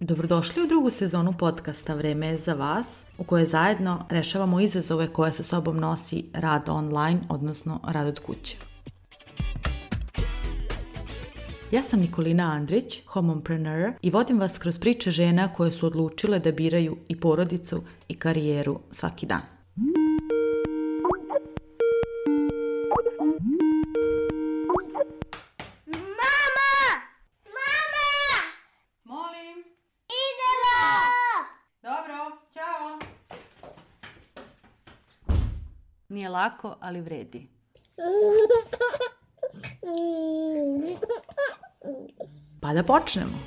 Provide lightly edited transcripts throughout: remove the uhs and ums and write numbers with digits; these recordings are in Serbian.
Dobrodošli u drugu sezonu podcasta Vreme je za vas, u kojoj zajedno rešavamo izazove koje sa sobom nosi rad online, odnosno rad od kuće. Ja sam Nikolina Andrić, homompreneur, i vodim vas kroz priče žena koje su odlučile da biraju i porodicu i karijeru svaki dan. Nije lako, ali vredi. Pa da počnemo.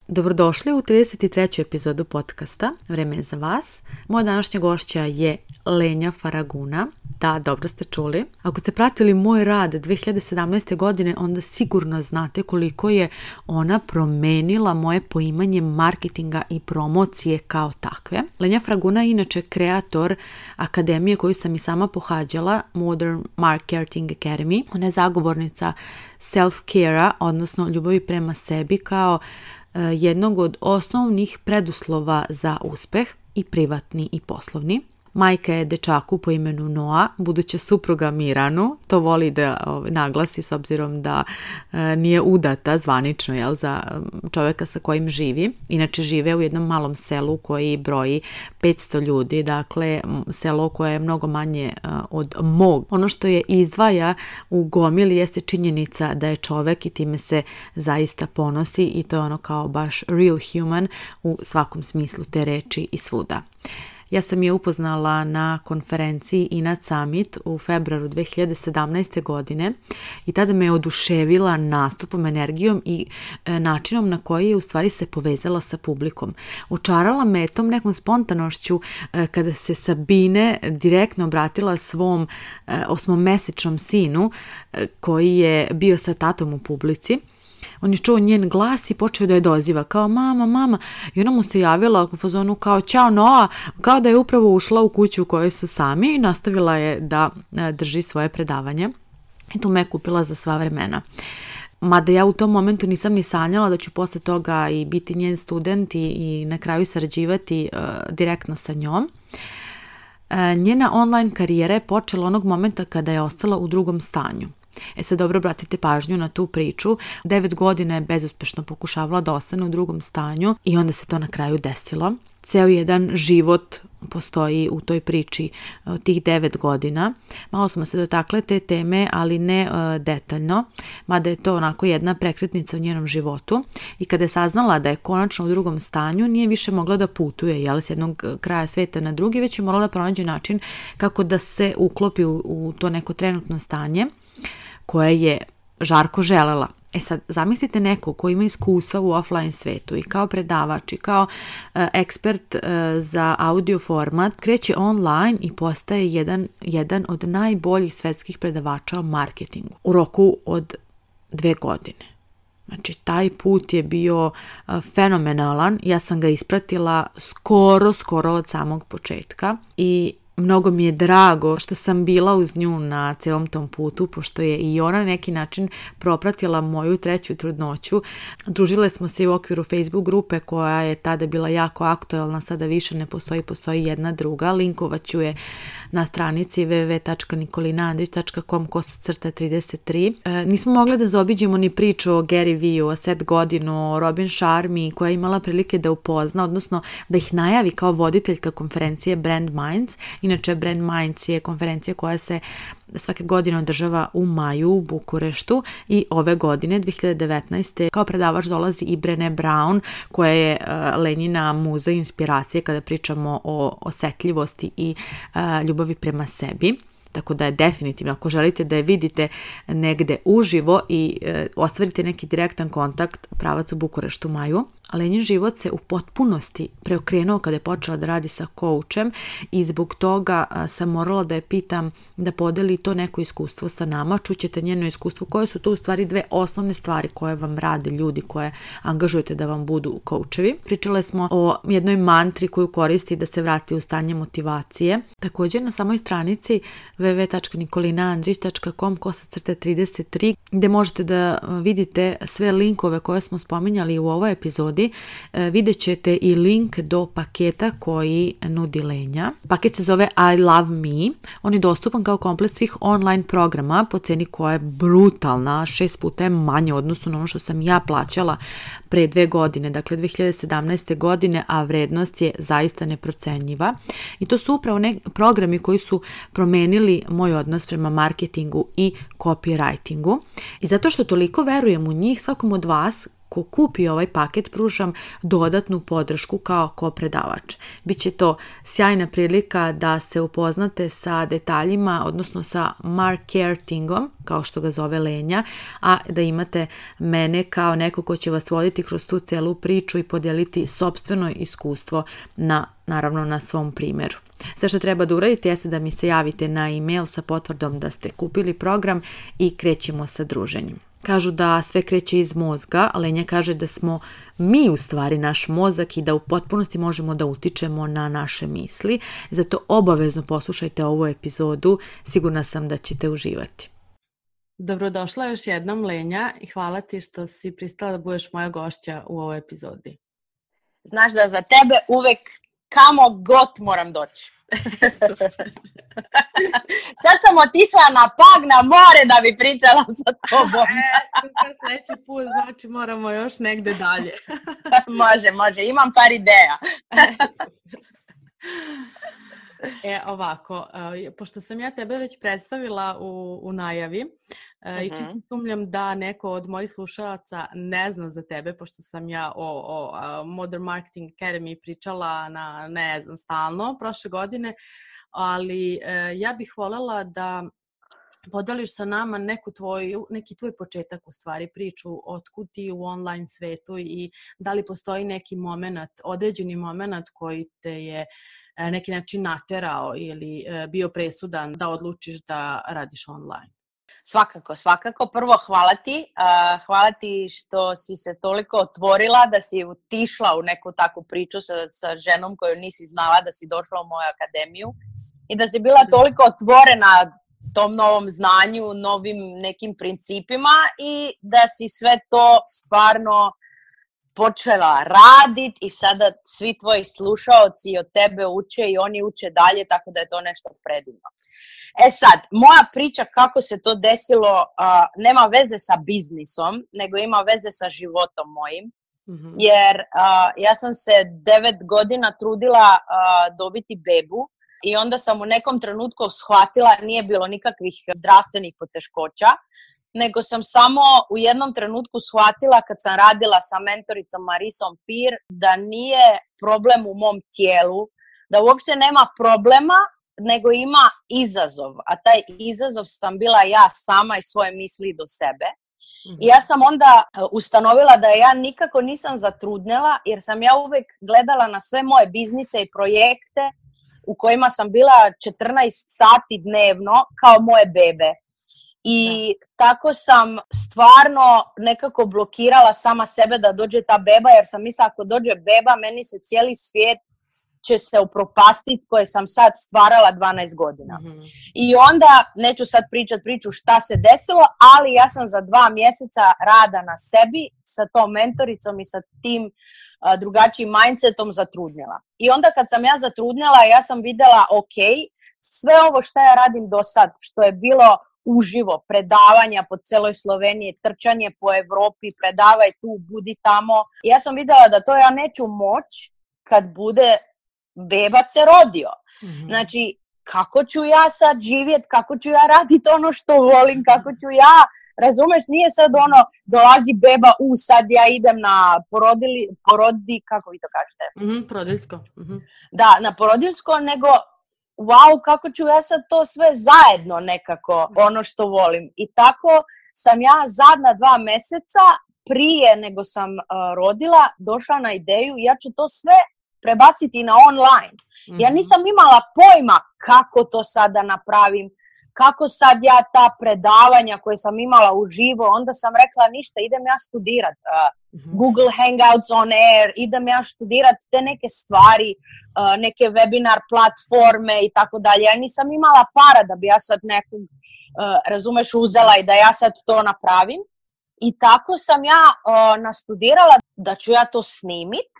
Dobrodošli u 33. epizodu podcasta Vreme je za vas. Moja današnja gošća je Lenja Faraguna. Da, dobro ste čuli. Ako ste pratili moj rad 2017. godine, onda sigurno znate koliko je ona promenila moje poimanje marketinga i promocije kao takve. Lenja Faraguna je inače kreator akademije koju sam i sama pohađala, Modern Marketing Academy. Ona je zagovornica self-care-a, odnosno ljubavi prema sebi, kao jednog od osnovnih preduslova za uspeh, i privatni i poslovni. Majka je dečaku po imenu Noa, buduća supruga Miranu, to voli da naglasi s obzirom da nije udata zvanično za čovjeka sa kojim živi. Inače žive u jednom malom selu koji broji 500 ljudi, dakle selo koje je mnogo manje od mog. Ono što je izdvaja u gomili jeste činjenica da je čovjek i time se zaista ponosi, i to je ono kao baš real human u svakom smislu te reči i svuda. Ja sam je upoznala na konferenciji Inat Summit u februaru 2017. godine i tada me je oduševila nastupom, energijom i načinom na koji je u stvari se povezala sa publikom. Očarala me tom nekom spontanošću kada se Sabine direktno obratila svom 8-mesečnom sinu koji je bio sa tatom u publici. On je čuo njen glas i počeo da je doziva kao mama, i ona mu se javila u fazonu kao ćao Noa, kao da je upravo ušla u kuću u kojoj su sami, i nastavila je da drži svoje predavanje. I to me je kupila za sva vremena. Mada ja u tom momentu nisam ni sanjala da ću posle toga i biti njen student i na kraju sarađivati direktno sa njom. Njena online karijera je počela onog momenta kada je ostala u drugom stanju. Sad dobro obratite pažnju na tu priču. 9 godina je bezuspešno pokušavala da ostane u drugom stanju i onda se to na kraju desilo. Ceo jedan život postoji u toj priči tih 9 godina. Malo smo se dotakle te teme, ali ne detaljno, mada je to onako jedna prekretnica u njenom životu. I kada je saznala da je konačno u drugom stanju, nije više mogla da putuje, s jednog kraja sveta na drugi, već je morala da pronađe način kako da se uklopi u to neko trenutno stanje koje je žarko želela. Sad, zamislite neko ko ima iskustva u offline svetu i kao predavač i kao ekspert za audio format, kreće online i postaje jedan od najboljih svetskih predavača o marketingu u roku od 2 godine. Znači, taj put je bio fenomenalan. Ja sam ga ispratila skoro od samog početka i mnogo mi je drago što sam bila uz nju na celom tom putu, pošto je i ona na neki način propratila moju 3. trudnoću. Družile smo se u okviru Facebook grupe koja je tada bila jako aktuelna, sada više ne postoji jedna druga. Linkovat ću je na stranici www.nikolinaandrić.com/33. Nismo mogli da zaobiđemo ni priču o Gary Vee-u, o Seth Godinu, o Robin Sharmi, koja je imala prilike da upozna, odnosno da ih najavi kao voditeljka konferencije Brand Minds. Inače, Brand Minds je konferencija koja se svake godine održava u maju u Bukureštu, i ove godine, 2019. kao predavač dolazi i Brené Brown, koja je Lenjina muza inspiracije kada pričamo o osetljivosti i ljubavi prema sebi. Tako da je definitivno, ako želite da je vidite negde uživo i ostvarite neki direktan kontakt, pravac u Bukureštu u maju. Lenjin život se u potpunosti preokrenuo kada je počela da radi sa coachem i zbog toga sam morala da je pitam da podeli to neko iskustvo sa nama. Čućete njeno iskustvo koje su to u stvari dve osnovne stvari koje vam rade ljudi koje angažujete da vam budu coachevi. Pričale smo o jednoj mantri koju koristi da se vrati u stanje motivacije. Također na samoj stranici www.nikolinaandrić.com/33 gdje možete da vidite sve linkove koje smo spominjali u ovoj epizodi. Vidjet ćete i link do paketa koji nudi Lenja. Paket se zove I Love Me. On je dostupan kao komplet svih online programa po ceni koja je brutalna, 6 puta je manje odnosno na ono što sam ja plaćala pre 2 godine, dakle 2017. godine, a vrednost je zaista neprocenjiva. I to su upravo programi koji su promenili moj odnos prema marketingu i copywritingu. I zato što toliko verujem u njih, svakom od vas ko kupi ovaj paket pružam dodatnu podršku kao kopredavač. Biće to sjajna prilika da se upoznate sa detaljima, odnosno sa marketingom, kao što ga zove Lenja, a da imate mene kao neko ko će vas voditi kroz tu celu priču i podijeliti sopstveno iskustvo naravno na svom primjeru. Sve što treba da uradite jeste da mi se javite na e-mail sa potvrdom da ste kupili program i krećemo sa druženjem. Kažu da sve kreće iz mozga, a Lenja kaže da smo mi u stvari naš mozak i da u potpunosti možemo da utičemo na naše misli. Zato obavezno poslušajte ovu epizodu, sigurna sam da ćete uživati. Dobrodošla još jednom Lenja i hvala ti što si pristala da budeš moja gošća u ovoj epizodi. Znaš da za tebe uvek kamo god moram doći. Sad sam otišla na Pag na more da bi pričala sa tobom. Super, sljedeći put, znači moramo još negde dalje. Može, imam par ideja. Ovako, pošto sam ja tebe već predstavila u najavi, i čisto sumnjam da neko od mojih slušalaca ne zna za tebe, pošto sam ja o Modern Marketing Academy pričala ne znam, stalno prošle godine, ali ja bih voljela da podeliš sa nama neki tvoj početak, u stvari priču otkud ti u online svetu i da li postoji neki određeni moment koji te je neki način naterao ili bio presudan da odlučiš da radiš online. Svakako. Prvo hvala ti što si se toliko otvorila, da si utišla u neku takvu priču sa ženom koju nisi znala, da si došla u moju akademiju i da si bila toliko otvorena tom novom znanju, novim nekim principima i da si sve to stvarno počela raditi i sada svi tvoji slušaoci od tebe uče i oni uče dalje, tako da je to nešto predivno. Sad, moja priča kako se to desilo nema veze sa biznisom, nego ima veze sa životom mojim. Jer ja sam se 9 godina trudila dobiti bebu i onda sam u nekom trenutku shvatila, nije bilo nikakvih zdravstvenih poteškoća, nego sam samo u jednom trenutku shvatila kad sam radila sa mentoricom Marisom Pir da nije problem u mom tijelu, da uopće nema problema, nego ima izazov, a taj izazov sam bila ja sama i svoje misli do sebe. I ja sam onda ustanovila da ja nikako nisam zatrudnela, jer sam ja uvijek gledala na sve moje biznise i projekte u kojima sam bila 14 sati dnevno kao moje bebe. I tako sam stvarno nekako blokirala sama sebe da dođe ta beba, jer sam mislila ako dođe beba, meni se cijeli svijet će se upropastiti koje sam sad stvarala 12 godina. I onda, neću sad pričati priču šta se desilo, ali ja sam za 2 mjeseca rada na sebi sa tom mentoricom i sa tim drugačijim mindsetom zatrudnjela. I onda kad sam ja zatrudnjela, ja sam vidjela, ok, sve ovo što ja radim do sad, što je bilo uživo, predavanja po celoj Sloveniji, trčanje po Evropi, predavaj tu, budi tamo. Ja sam vidjela da to ja neću moći kad bude bebac se rodio. Znači, kako ću ja sad živjeti, kako ću ja raditi ono što volim, kako ću ja, razumeš, nije sad dolazi beba, sad ja idem na kako vi to kažete? Porodiljsko. Da, na porodiljsko, nego wow, kako ću ja sad to sve zajedno nekako, ono što volim. I tako sam ja zadnja 2 mjeseca prije nego sam rodila došla na ideju, ja ću to sve prebaciti na online. Ja nisam imala pojma kako to sad da napravim, kako sad ja ta predavanja koje sam imala uživo, onda sam rekla ništa, idem ja studirat Google Hangouts on Air, idem ja studirat te neke stvari, neke webinar platforme i tako dalje. Ja nisam imala para da bi ja sad nekog, razumeš, uzela i da ja sad to napravim. I tako sam ja nastudirala da ću ja to snimit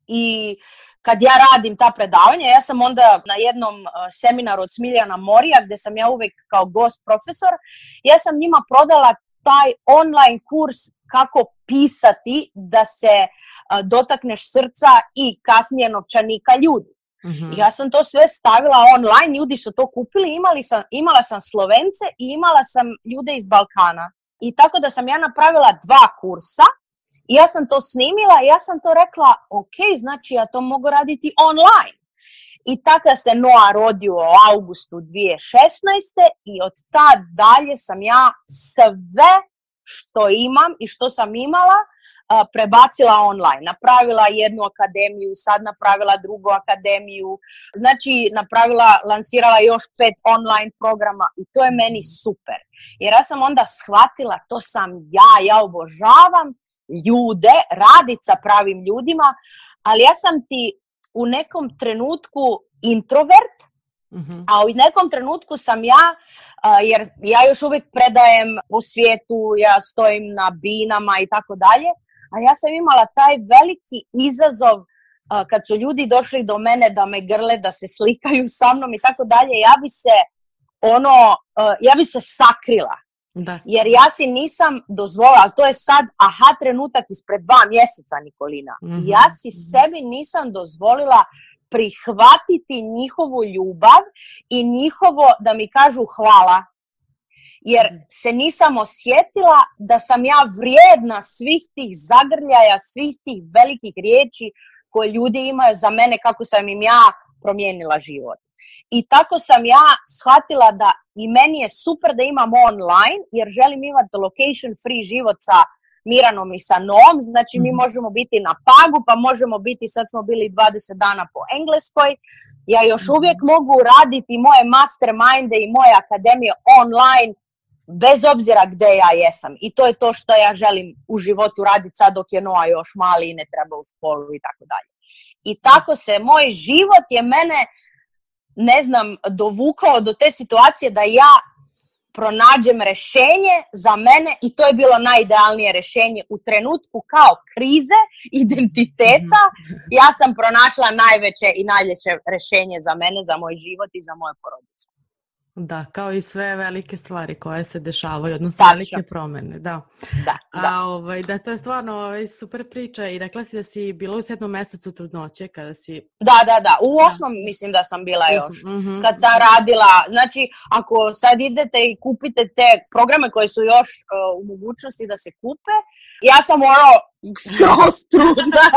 i kad ja radim ta predavanja, ja sam onda na jednom seminaru od Smiljana Morija, gdje sam ja uvijek kao gost profesor, ja sam njima prodala taj online kurs kako pisati da se dotakneš srca i kasnije novčanika ljudi. Ja sam to sve stavila online, ljudi su to kupili, imala sam Slovence i imala sam ljude iz Balkana. I tako da sam ja napravila 2 kursa i ja sam to snimila i ja sam to rekla, ok, znači ja to mogu raditi online. I tako se Noah rodio u augustu 2016. i od tad dalje sam ja sve što imam i što sam imala prebacila online. Napravila jednu akademiju, sad napravila drugu akademiju, znači lansirala još 5 online programa i to je meni super. Jer ja sam onda shvatila, to sam ja obožavam ljude, radit sa pravim ljudima, ali ja sam ti u nekom trenutku introvert, a u nekom trenutku sam ja, jer ja još uvijek predajem po svijetu, ja stojim na binama i tako dalje, a ja sam imala taj veliki izazov kad su ljudi došli do mene da me grle, da se slikaju sa mnom i tako dalje, ja bi se sakrila. Da. Jer ja si nisam dozvolila, to je sad trenutak ispred 2 mjeseca, Nikolina. Ja si sebi nisam dozvolila prihvatiti njihovu ljubav i njihovo da mi kažu hvala. Jer se nisam osjetila da sam ja vrijedna svih tih zagrljaja, svih tih velikih riječi koje ljudi imaju za mene, kako sam im ja promijenila život. I tako sam ja shvatila da i meni je super da imam online, jer želim imati location free život sa Miranom i sa Noom, znači mi možemo biti na Pagu, pa možemo biti, sad smo bili 20 dana po Engleskoj, ja još uvijek mogu raditi moje masterminde i moje akademije online, bez obzira gdje ja jesam. I to je to što ja želim u životu raditi sad dok je Noa još mali i ne treba u školu i tako dalje. I tako se moj život je mene, ne znam, dovukao do te situacije da ja pronađem rješenje za mene i to je bilo najidealnije rješenje u trenutku kao krize identiteta. Ja sam pronašla najveće i najljepše rješenje za mene, za moj život i za moju porodicu. Da, kao i sve velike stvari koje se dešavaju, odnosno velike promjene, da. Da, to je stvarno super priča i rekla si da si bila u 7. mjesecu trudnoće kada si... Da, u 8. mislim da sam bila još, kad sam radila, znači ako sad idete i kupite te programe koje su još u mogućnosti da se kupe, ja sam skroz trudna,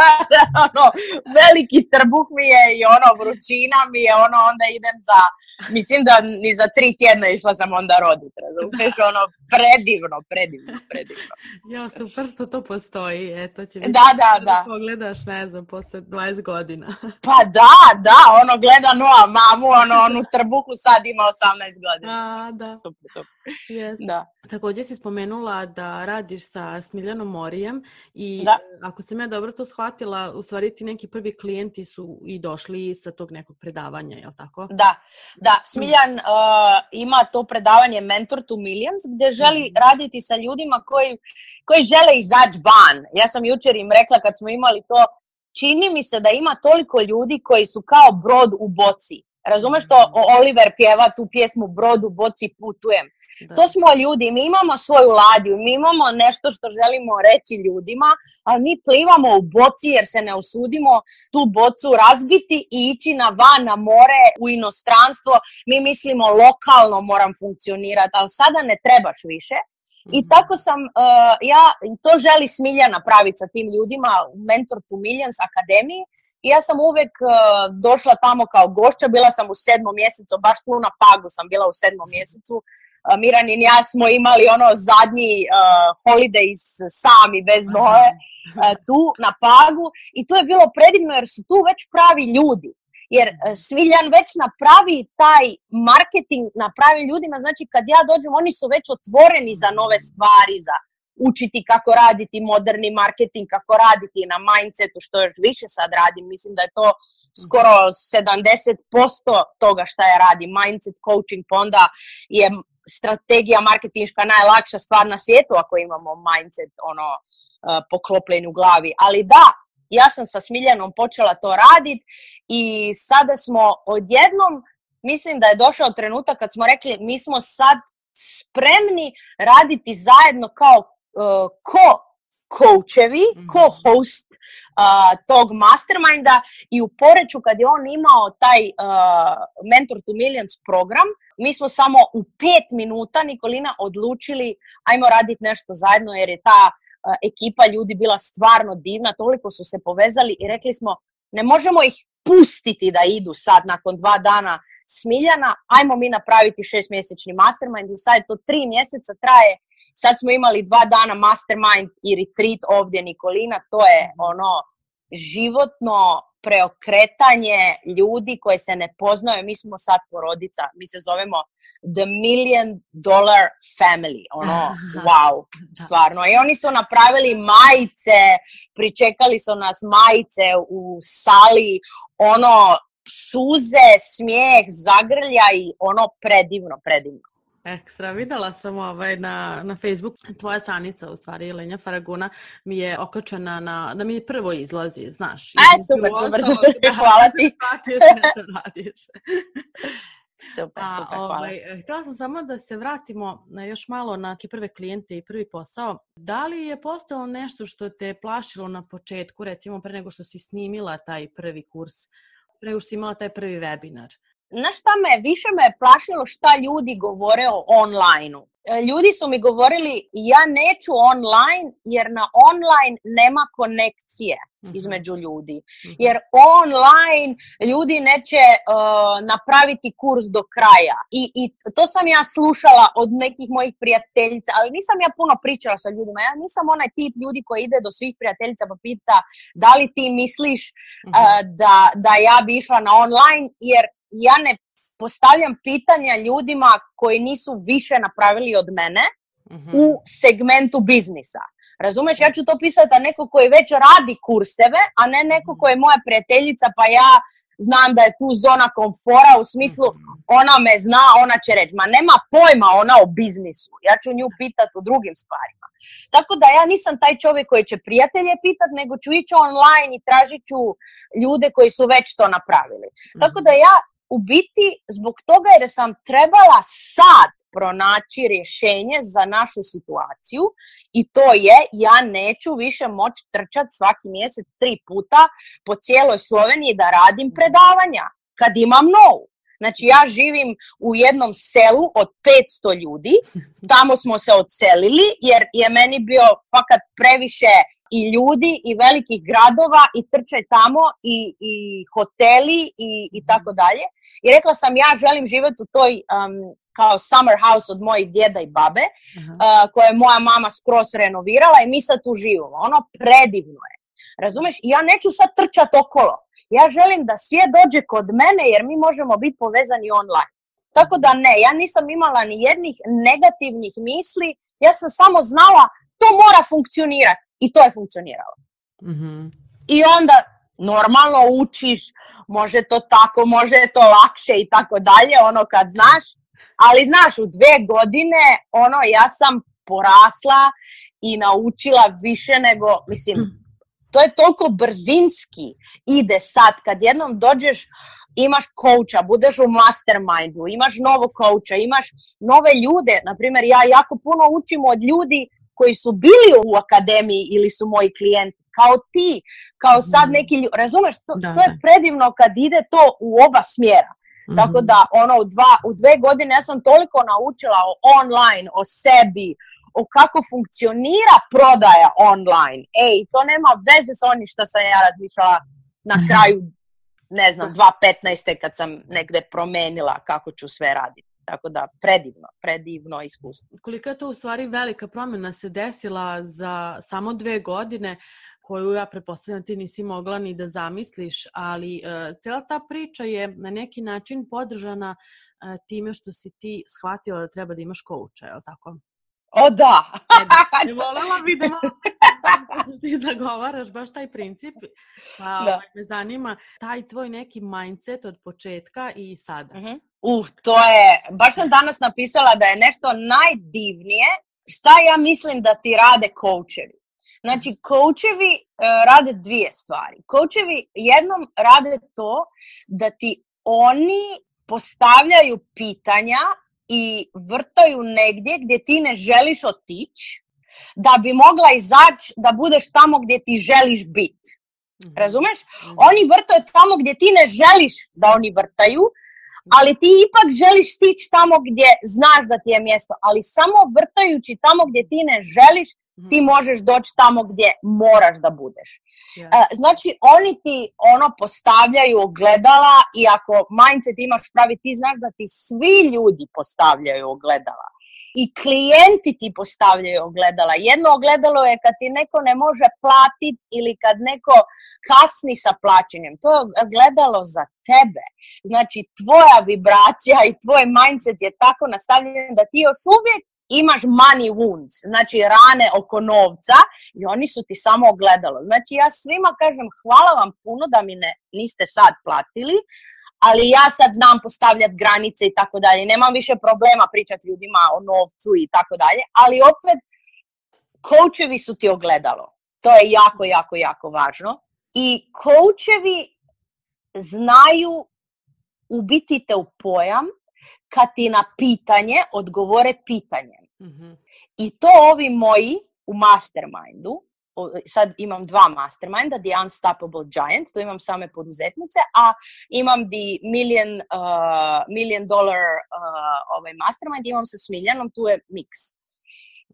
veliki trbuh mi je i vrućina mi je, onda idem za, mislim da ni za 3 tjedna išla sam onda rodit, razumiješ, predivno. Ja, super što to postoji, eto će biti. Da. Pogledaš, ne znam, posle 20 godina. Pa da, gleda Noa mamu, onu trbuhu sad ima 18 godina. Da. Super. Yes. Da. Također si spomenula da radiš sa Smiljanom Morijem i ako sam ja dobro to shvatila, u stvari ti neki prvi klijenti su i došli sa tog nekog predavanja, je li tako? Da. Smiljan ima to predavanje Mentor to Millions gdje želi raditi sa ljudima koji žele izaći van. Ja sam jučer im rekla kad smo imali to, čini mi se da ima toliko ljudi koji su kao brod u boci. Razumeš što Oliver pjeva tu pjesmu Brod u boci putujem? Da. To smo ljudi, mi imamo svoju ladiju, mi imamo nešto što želimo reći ljudima, ali mi plivamo u boci jer se ne usudimo tu bocu razbiti i ići na van, na more, u inostranstvo. Mi mislimo lokalno moram funkcionirati, ali sada ne trebaš više. I tako sam, to želi Smilja napraviti sa tim ljudima u Mentor to Millions akademiji. I ja sam uvijek došla tamo kao gošća, bila sam u 7. mjesecu, baš tu na Pagu sam bila u 7. mjesecu, Miranin ja smo imali ono zadnji holidays sami bez Noe tu na Pagu i to je bilo predivno jer su tu već pravi ljudi. Jer Smiljan već napravi taj marketing, napravi ljudima, znači kad ja dođem oni su već otvoreni za nove stvari, za učiti kako raditi moderni marketing, kako raditi na mindsetu, što još više sad radim. Mislim da je to skoro 70% toga šta ja radim, mindset coaching, pa onda je strategija marketinška najlakša stvar na svijetu ako imamo mindset poklopljen u glavi. Ali da, ja sam sa Smiljanom počela to raditi i sada smo odjednom, mislim da je došao trenutak kad smo rekli mi smo sad spremni raditi zajedno kao ko-coachevi, ko-host tog masterminda i u Poreču kad je on imao taj Mentor to Millions program, mi smo samo u 5 minuta, Nikolina, odlučili ajmo raditi nešto zajedno jer je ta ekipa ljudi bila stvarno divna, toliko su se povezali i rekli smo ne možemo ih pustiti da idu sad nakon 2 dana Smiljana, ajmo mi napraviti 6-mjesečni mastermind i sad je to 3 mjeseca traje. Sad smo imali 2 dana mastermind i retreat ovdje, Nikolina, to je životno preokretanje ljudi koji se ne poznaju. Mi smo sad porodica, mi se zovemo The $1 Million Family, wow, stvarno. I oni su napravili majice, pričekali su nas majice u sali, suze, smijeh, zagrljaj, predivno. Ekstra, videla sam na Facebook, tvoja stranica u stvari, Lenja Faraguna, mi je okačena da mi je prvo izlazi, znaš. Super, hvala ti. Super, hvala. Htjela sam samo da se vratimo još malo na prve klijente i prvi posao. Da li je postalo nešto što te plašilo na početku, recimo pre nego što si snimila taj prvi kurs, pre nego što si imala taj prvi webinar? Znaš šta više me plašilo šta ljudi govore o online-u. Ljudi su mi govorili ja neću online jer na online nema konekcije između ljudi. Jer online ljudi neće napraviti kurs do kraja. I to sam ja slušala od nekih mojih prijateljica, ali nisam ja puno pričala sa ljudima. Ja nisam onaj tip ljudi koji ide do svih prijateljica pa pita da li ti misliš da ja bi išla na online, jer ja ne postavljam pitanja ljudima koji nisu više napravili od mene u segmentu biznisa. Razumeš, ja ću to pisati da neko koji već radi kurseve, a ne neko koji je moja prijateljica pa ja znam da je tu zona komfora u smislu ona me zna, ona će reći. Ma nema pojma ona o biznisu, ja ću nju pitati o drugim stvarima. Tako da ja nisam taj čovjek koji će prijatelje pitati, nego ću ići online i tražit ću ljude koji su već to napravili. Tako da ja u biti zbog toga jer sam trebala sad pronaći rješenje za našu situaciju i to je ja neću više moći trčati svaki mjesec 3 puta po cijeloj Sloveniji da radim predavanja kad imam novu. Znači ja živim u jednom selu od 500 ljudi, tamo smo se odselili jer je meni bio fakat previše i ljudi i velikih gradova i trčaj tamo i hoteli i tako dalje. I rekla sam ja želim živjeti u toj kao summer house od mojih djeda i babe koje je moja mama skroz renovirala i mi sad tu živimo. Ono predivno je. Razumeš? I ja neću sad trčati okolo. Ja želim da svijet dođe kod mene jer mi možemo biti povezani online. Tako da ne, ja nisam imala ni jednih negativnih misli, ja sam samo znala to mora funkcionirati i to je funkcioniralo. I onda normalno učiš, može to tako, može to lakše i tako dalje, kad znaš, ali znaš u 2 godine ja sam porasla i naučila više nego, mislim, to je toliko brzinski ide sad kad jednom dođeš, imaš coacha, budeš u mastermindu, imaš novog coacha, imaš nove ljude. Naprimjer, ja jako puno učim od ljudi koji su bili u akademiji ili su moji klijenti, kao ti, kao sad neki ljudi. Razumeš, to je predivno kad ide to u oba smjera. Tako da u 2 godine ja sam toliko naučila o online, o sebi, o kako funkcionira prodaja online. To nema veze s onim što sam ja razmišljala na kraju, ne znam, 2015. kad sam negdje promenila kako ću sve raditi. Tako da, predivno iskustvo. Koliko je to u stvari velika promjena se desila za samo 2 godine, koju ja pretpostavljam ti nisi mogla ni da zamisliš, ali cijela ta priča je na neki način podržana time što si ti shvatila da treba da imaš kouča, je li tako? O da! Volela bi da malo ti zagovaraš baš taj princip, pa me zanima taj tvoj neki mindset od početka i sada. To je, baš sam danas napisala da je nešto najdivnije šta ja mislim da ti rade koučevi. Znači, koučevi rade 2 stvari. Koučevi jednom rade to da ti oni postavljaju pitanja i vrtaju negdje gdje ti ne želiš otići, da bi mogla izaći da budeš tamo gdje ti želiš biti. Razumeš? Oni vrtaju tamo gdje ti ne želiš da oni vrtaju, ali ti ipak želiš stići tamo gdje znaš da ti je mjesto, ali samo vrtajući tamo gdje ti ne želiš, ti možeš doći tamo gdje moraš da budeš. Znači, oni ti postavljaju ogledala i ako mindset imaš pravi, ti znaš da ti svi ljudi postavljaju ogledala. I klijenti ti postavljaju ogledala. Jedno ogledalo je kad ti neko ne može platiti ili kad neko kasni sa plaćanjem. To je ogledalo za tebe. Znači, tvoja vibracija i tvoj mindset je tako nastavljen da ti još uvijek imaš money wounds, znači rane oko novca i oni su ti samo ogledalo. Znači, ja svima kažem hvala vam puno da mi niste sad platili, ali ja sad znam postavljati granice i tako dalje. Nemam više problema pričati ljudima o novcu i tako dalje, ali opet koučevi su ti ogledalo. To je jako, jako, jako važno. I koučevi znaju ubiti te u pojam kad ti na pitanje odgovore pitanjem. I to ovi moji u mastermindu, sad imam 2 masterminda, The Unstoppable Giant, to imam same poduzetnice, a imam The $1 million mastermind, imam sa Smiljanom, tu je mix.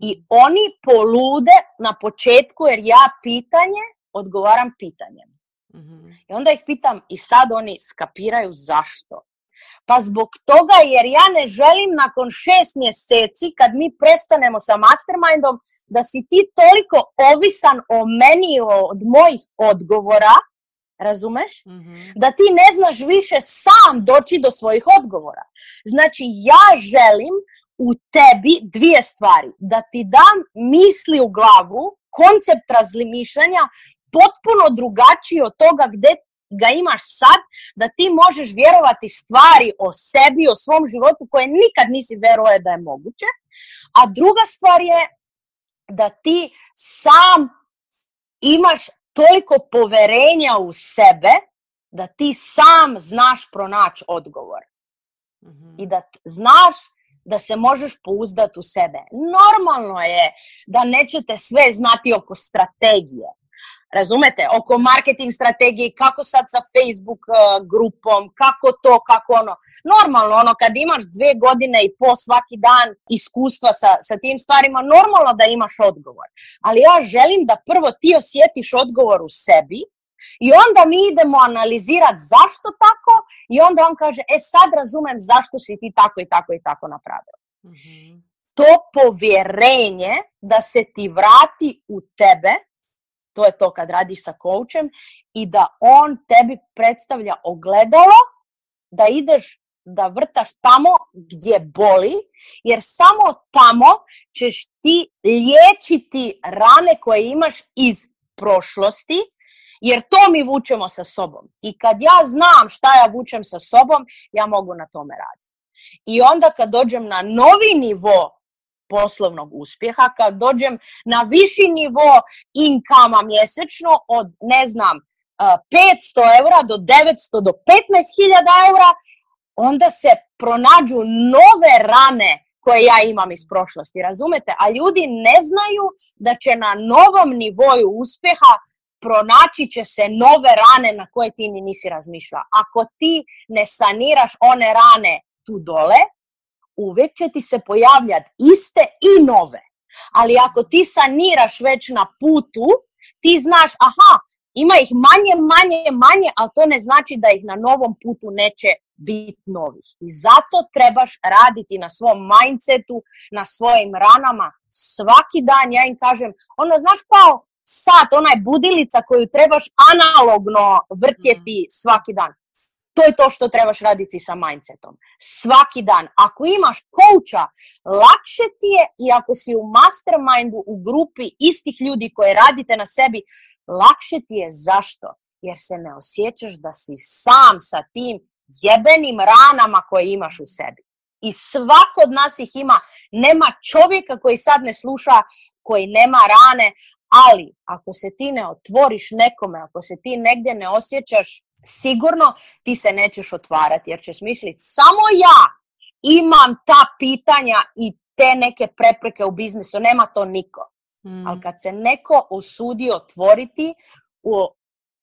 I oni polude na početku jer ja pitanje odgovaram pitanjem. I onda ih pitam i sad oni skapiraju zašto. Pa zbog toga jer ja ne želim nakon 6 mjeseci kad mi prestanemo sa mastermindom da si ti toliko ovisan o meni od mojih odgovora, razumeš? Da ti ne znaš više sam doći do svojih odgovora. Znači ja želim u tebi 2 stvari. Da ti dam misli u glavu, koncept razmišljanja potpuno drugačiji od toga gdje ga imaš sad, da ti možeš vjerovati stvari o sebi, o svom životu koje nikad nisi vjerovao da je moguće. A druga stvar je da ti sam imaš toliko poverenja u sebe da ti sam znaš pronaći odgovor. I da znaš da se možeš pouzdati u sebe. Normalno je da nećete sve znati oko strategije. Razumete? Oko marketing strategije, kako sad sa Facebook grupom, kako to, kako ono. Normalno, kad imaš 2 godine i pol svaki dan iskustva sa tim stvarima, normalno da imaš odgovor. Ali ja želim da prvo ti osjetiš odgovor u sebi i onda mi idemo analizirati zašto tako i onda on kaže, sad razumem zašto si ti tako i tako i tako napravio. To povjerenje da se ti vrati u tebe, to je to kad radiš sa koučem i da on tebi predstavlja ogledalo da ideš da vrtaš tamo gdje boli, jer samo tamo ćeš ti liječiti rane koje imaš iz prošlosti, jer to mi vučemo sa sobom. I kad ja znam šta ja vučem sa sobom, ja mogu na tome raditi. I onda kad dođem na novi nivo poslovnog uspjeha, kad dođem na viši nivo inkama mjesečno od, 500 eura do 900 do 15.000 eura, onda se pronađu nove rane koje ja imam iz prošlosti, razumete? A ljudi ne znaju da će na novom nivoju uspjeha pronaći će se nove rane na koje ti ni nisi razmišljala. Ako ti ne saniraš one rane tu dole, uvijek će ti se pojavljati iste i nove. Ali ako ti saniraš već na putu, ti znaš, ima ih manje, ali to ne znači da ih na novom putu neće biti novih. I zato trebaš raditi na svom mindsetu, na svojim ranama. Svaki dan ja im kažem, znaš kao sat, ona je budilica koju trebaš analogno vrtjeti svaki dan. To je to što trebaš raditi sa mindsetom. Svaki dan. Ako imaš coacha, lakše ti je, i ako si u mastermindu, u grupi istih ljudi koji radite na sebi, lakše ti je. Zašto? Jer se ne osjećaš da si sam sa tim jebenim ranama koje imaš u sebi. I svako od nas ih ima. Nema čovjeka koji sad ne sluša, koji nema rane, ali ako se ti ne otvoriš nekome, ako se ti negdje ne osjećaš sigurno, ti se nećeš otvarati, jer ćeš misliti samo ja imam ta pitanja i te neke prepreke u biznisu, nema to niko. Ali kad se neko usudi otvoriti u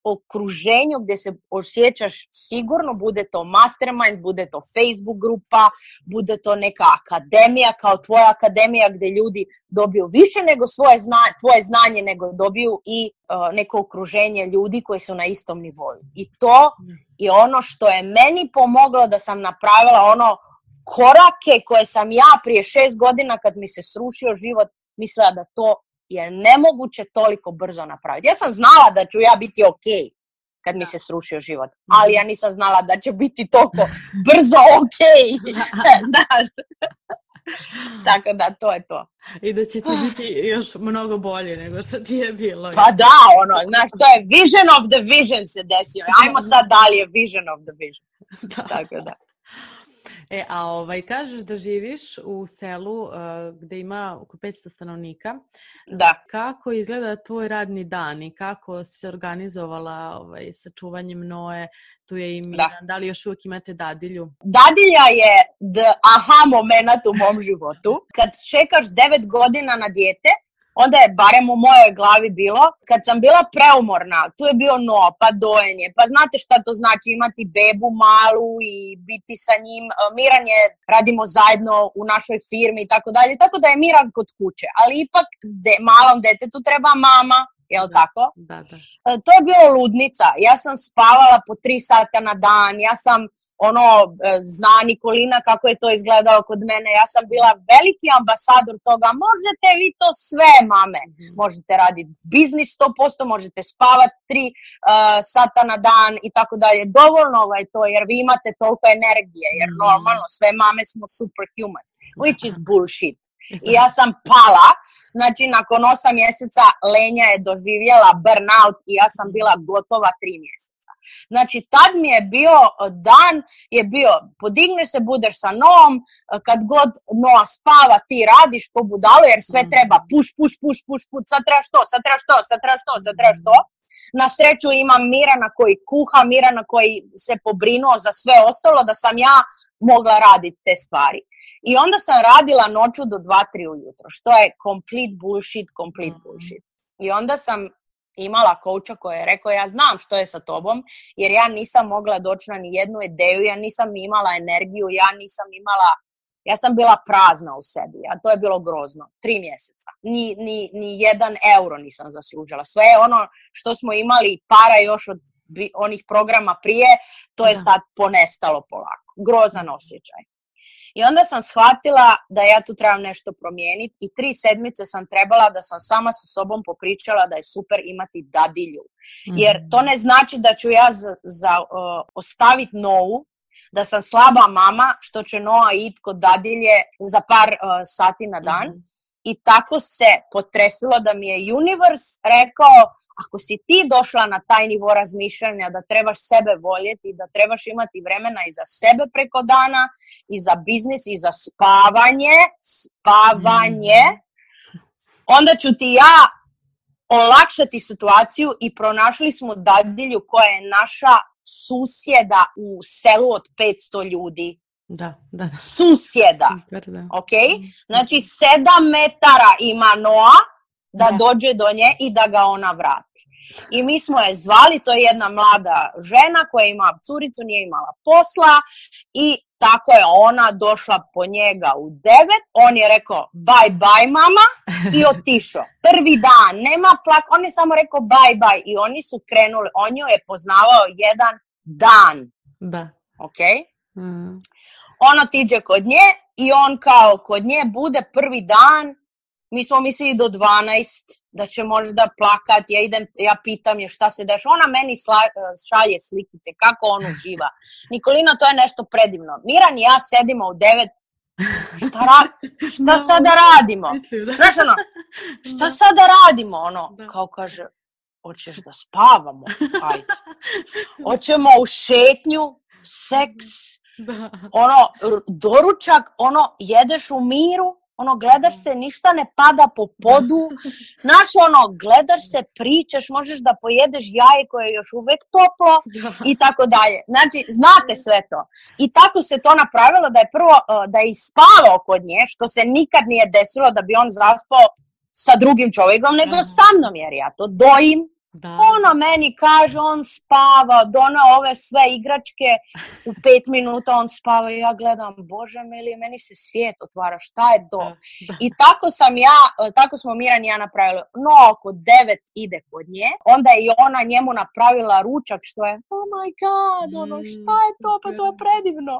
okruženju gdje se osjećaš sigurno, bude to mastermind, bude to Facebook grupa, bude to neka akademija kao tvoja akademija gdje ljudi dobiju više nego tvoje znanje, nego dobiju i neko okruženje ljudi koji su na istom nivou. I to je ono što je meni pomoglo da sam napravila korake koje sam ja prije 6 godina kad mi se srušio život mislila da to je nemoguće toliko brzo napraviti. Ja sam znala da ću ja biti ok kad mi se srušio život, ali ja nisam znala da će biti toliko brzo ok. Znaš? Tako da, to je to. I da će ti biti još mnogo bolje nego što ti je bilo. Pa da, znaš, to je vision of the vision se desio. Ajmo sad dalje, vision of the vision. Tako da. A kažeš da živiš u selu gdje ima oko 500 stanovnika. Da. Kako izgleda tvoj radni dan i kako si se organizovala sa čuvanjem Noe? Tu je i Miran. Da li još uvijek imate dadilju? Dadilja je aha moment u mom životu. Kad čekaš 9 godina na dijete, onda je barem u mojoj glavi bilo, kad sam bila preumorna, tu je bio pa dojenje, pa znate šta to znači imati bebu malu i biti sa njim. Miran je, radimo zajedno u našoj firmi i tako dalje, tako da je Miran kod kuće, ali ipak malom detetu treba mama, jel tako? Da. To je bilo ludnica, ja sam spavala po 3 sata na dan, ja sam zna Nikolina kako je to izgledalo kod mene. Ja sam bila veliki ambasador toga. Možete vi to sve, mame. Možete raditi biznis 100%, možete spavati 3 sata na dan i tako dalje. Dovoljno je to jer vi imate toliko energije. Jer normalno sve mame smo superhuman. Which is bullshit. I ja sam pala. Znači nakon 8 mjeseca Lenja je doživjela burnout i ja sam bila gotova 3 mjeseca. Znači, tad mi je bio dan, podigneš se, budeš sa Noom, kad god Noa spava, ti radiš po budalu, jer sve treba push, sad trebaš to. Na sreću imam Mirana koji kuha, Mirana koji se pobrinuo za sve ostalo, da sam ja mogla raditi te stvari. I onda sam radila noću do 2-3 ujutro, što je complete bullshit. I onda sam imala coacha koji je rekao, ja znam što je sa tobom, jer ja nisam mogla doći na ni jednu ideju, ja nisam imala energiju, ja sam bila prazna u sebi, a to je bilo grozno. 3 mjeseca. Ni 1 euro nisam zaslužila. Sve što smo imali para još od onih programa prije, to je sad ponestalo polako. Grozan osjećaj. I onda sam shvatila da ja tu trebam nešto promijeniti i 3 sedmice sam trebala da sam sama sa sobom popričala da je super imati dadilju. Jer to ne znači da ću ja ostaviti Novu, da sam slaba mama što će Noa ići kod dadilje za par sati na dan. I tako se potrefilo da mi je universe rekao, ako si ti došla na taj nivo razmišljanja da trebaš sebe voljeti, da trebaš imati vremena i za sebe preko dana, i za biznis, i za spavanje, onda ću ti ja olakšati situaciju i pronašli smo dadilju koja je naša susjeda u selu od 500 ljudi. Da. Susjeda. Ok? Znači 7 metara ima Noa da dođe do nje i da ga ona vrati. I mi smo je zvali, to je jedna mlada žena koja ima curicu, nije imala posla i tako je ona došla po njega u 9, on je rekao bye mama i otišao. Prvi dan, nema plak, on je samo rekao bye i oni su krenuli, on joj je poznavao 1 dan. Da. Ok? Ona tiđe kod nje i on kao kod nje bude prvi dan, mi smo mislili do 12, da će možda plakat, ja pitam je šta se dešava, ona meni šalje slikice, kako on uživa. Nikolina, to je nešto predivno. Miran i ja sedimo u 9, šta sada radimo? Znaš ono, šta sada radimo? Ono, kao kaže, hoćeš da spavamo? Ajde. Hoćemo u šetnju, seks, ono, doručak, ono, jedeš u miru, ono, gledaš se, ništa ne pada po podu, znaš, ono, gledaš se, pričaš, možeš da pojedeš jaje koje je još uvek toplo i tako dalje. Znači, znate sve to. I tako se to napravilo da je prvo, da je ispavao kod nje, što se nikad nije desilo da bi on zaspao sa drugim čovjekom, nego sa mnom, jer ja to dojim. Ono meni kaže, on spava, donao ove sve igračke, u 5 minuta on spava i ja gledam, Bože mili, meni se svijet otvara, šta je to? I tako smo Miran i ja napravili. No, oko 9 ide kod nje, onda je i ona njemu napravila ručak, što je, oh my god, ono, šta je to, pa to je predivno.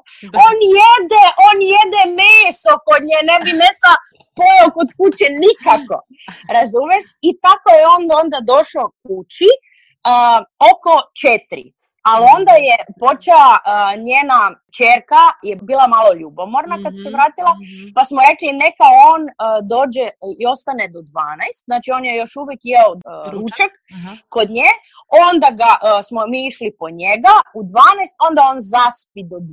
On jede meso kod nje, ne bi mesa pojeo kod kuće nikako, razumeš? I tako je onda došao kući oko 4. Ali onda je počela njena ćerka, je bila malo ljubomorna kad se vratila, pa smo rekli neka on dođe i ostane do 12, znači on je još uvijek jeo ručak kod nje, onda smo mi išli po njega u 12, onda on zaspi do 2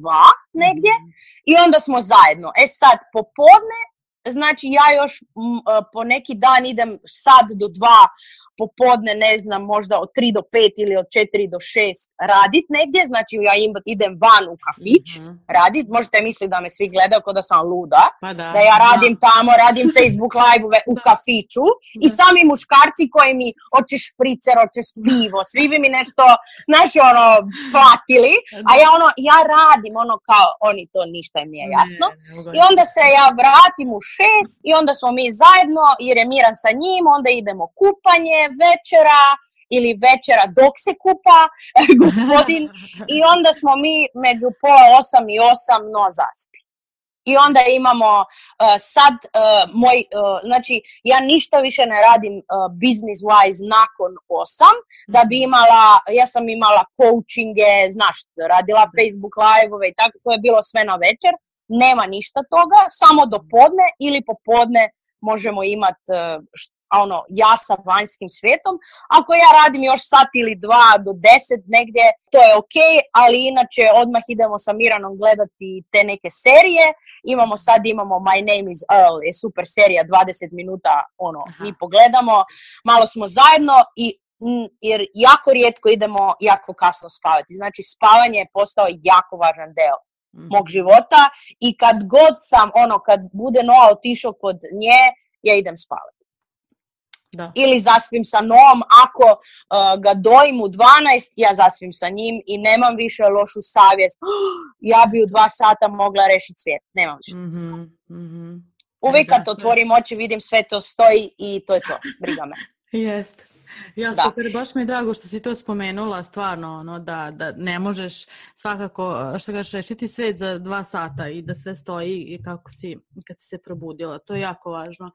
negdje i onda smo zajedno. Sad popodne, znači ja još po neki dan idem sad do 2 popodne, ne znam, možda od 3 do 5 ili od 4 do 6 radit negdje, znači ja idem van u kafić radit, možete misliti da me svi gledaju kao da sam luda, da ja radim tamo, radim Facebook live-ove u kafiću i sami muškarci koji mi hoćeš špricer, hoćeš pivo, svi bi mi nešto, znaš, ono, platili, a ja radim, ono, kao, oni to ništa im nije jasno. I onda se ja vratim u 6 i onda smo mi zajedno, jer je Miran sa njim, onda idemo kupanje, večera dok se kupa gospodin i onda smo mi među 7:30 i 8 zaspi. I onda imamo znači ja ništa više ne radim business wise nakon 8, da bi ja sam imala coachinge, znaš, radila Facebook live-ove i tako, to je bilo sve na večer, nema ništa toga, samo do podne ili popodne možemo imati ja sa vanjskim svijetom. Ako ja radim još sat ili 2 do 10 negdje, to je ok, ali inače odmah idemo sa Miranom gledati te neke serije. Imamo My Name is Earl, je super serija, 20 minuta, mi pogledamo, malo smo zajedno jer jako rijetko idemo jako kasno spavati. Znači spavanje je postao jako važan deo mog života i kad god sam, kad bude Noa otišao kod nje, ja idem spavati. Da. Ili zaspim sa Noom, ako ga dojim u 12, ja zaspim sa njim i nemam više lošu savjest. Ja bi u 2 sata mogla rešiti svijet. Nemam više. Uvijek kad otvorim oči, vidim sve to stoji i to je to. Briga me. Jest. Ja, super, baš mi je drago što si to spomenula, stvarno, da ne možeš svakako, što kažeš, rešiti svet za 2 sata i da sve stoji kako si, kad si se probudila. To je jako važno.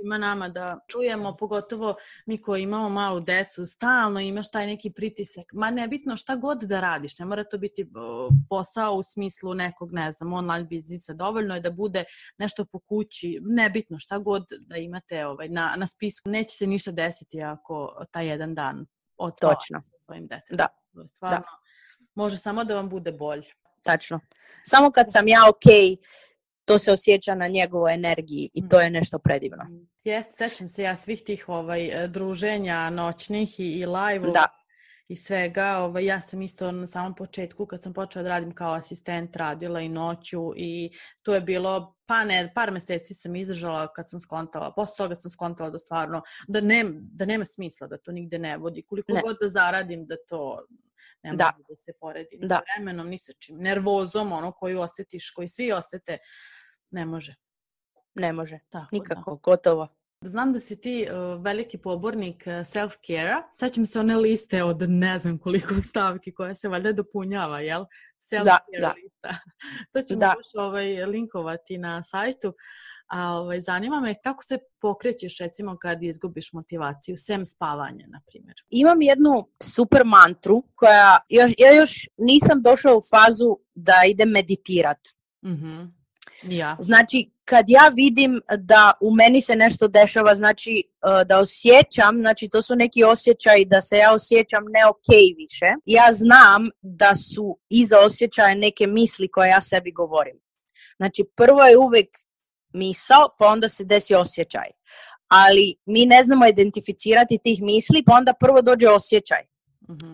Ima nama da čujemo, pogotovo mi koji imamo malu decu, stalno imaš taj neki pritisak. Ma nebitno šta god da radiš, ne mora to biti posao u smislu nekog, ne znam, online biznisa. Dovoljno je da bude nešto po kući, nebitno šta god da imate na spisku. Neće se ništa desiti ako taj jedan dan odspavate sa svojim detetom. Da. Stvarno, može samo da vam bude bolje. Tačno. Samo kad sam ja okej, to se osjeća na njegovoj energiji i to je nešto predivno. Jeste, sećam se ja svih tih druženja noćnih i live i svega. Ja sam isto na samom početku, kad sam počela da radim kao asistent, radila i noću i to je bilo, par meseci sam izdržala kad sam skontala. Posle toga sam skontala da stvarno, da nema smisla, da to nigde ne vodi. Koliko god da zaradim, da to ne može da se poredi ni sa vremenom, ni sa čim. Nervozom, koju osjetiš, koji svi osjete, ne može. Ne može, tako, nikako, gotovo. Znam da si ti veliki pobornik self-care-a. Sad će mi se one liste od ne znam koliko stavki koja se valjda dopunjava, jel? Self-care lista. To ćemo još linkovati na sajtu. A zanima me kako se pokrećeš recimo kad izgubiš motivaciju, sem spavanja, na primjer. Imam jednu super mantru koja, ja još nisam došla u fazu da idem meditirati. Ja. Znači, kad ja vidim da u meni se nešto dešava, znači da osjećam, znači to su neki osjećaji da se ja osjećam ne okej više, ja znam da su iza osjećaja neke misli koje ja sebi govorim. Znači, prvo je uvijek misao, pa onda se desi osjećaj. Ali mi ne znamo identificirati tih misli, pa onda prvo dođe osjećaj.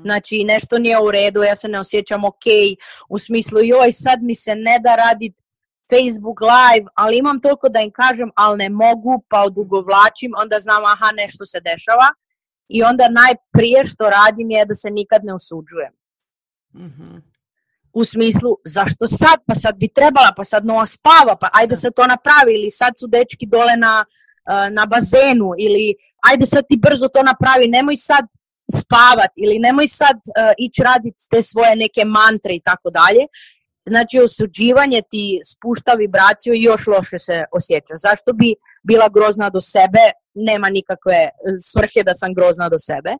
Znači, nešto nije u redu, ja se ne osjećam okej, u smislu, joj, sad mi se ne da raditi Facebook live, ali imam toliko da im kažem, ali ne mogu, pa odugovlačim, onda znam, aha, nešto se dešava. I onda najprije što radim je da se nikad ne osuđujem. U smislu, zašto sad? Pa sad bi trebala, pa sad Noa spava, pa ajde sad to napravi, ili sad su dečki dole na bazenu, ili ajde sad ti brzo to napravi, nemoj sad spavat, ili nemoj sad ići raditi te svoje neke mantre i tako dalje. Znači, osuđivanje ti spušta vibraciju i još loše se osjeća. Zašto bi bila grozna do sebe? Nema nikakve svrhe da sam grozna do sebe.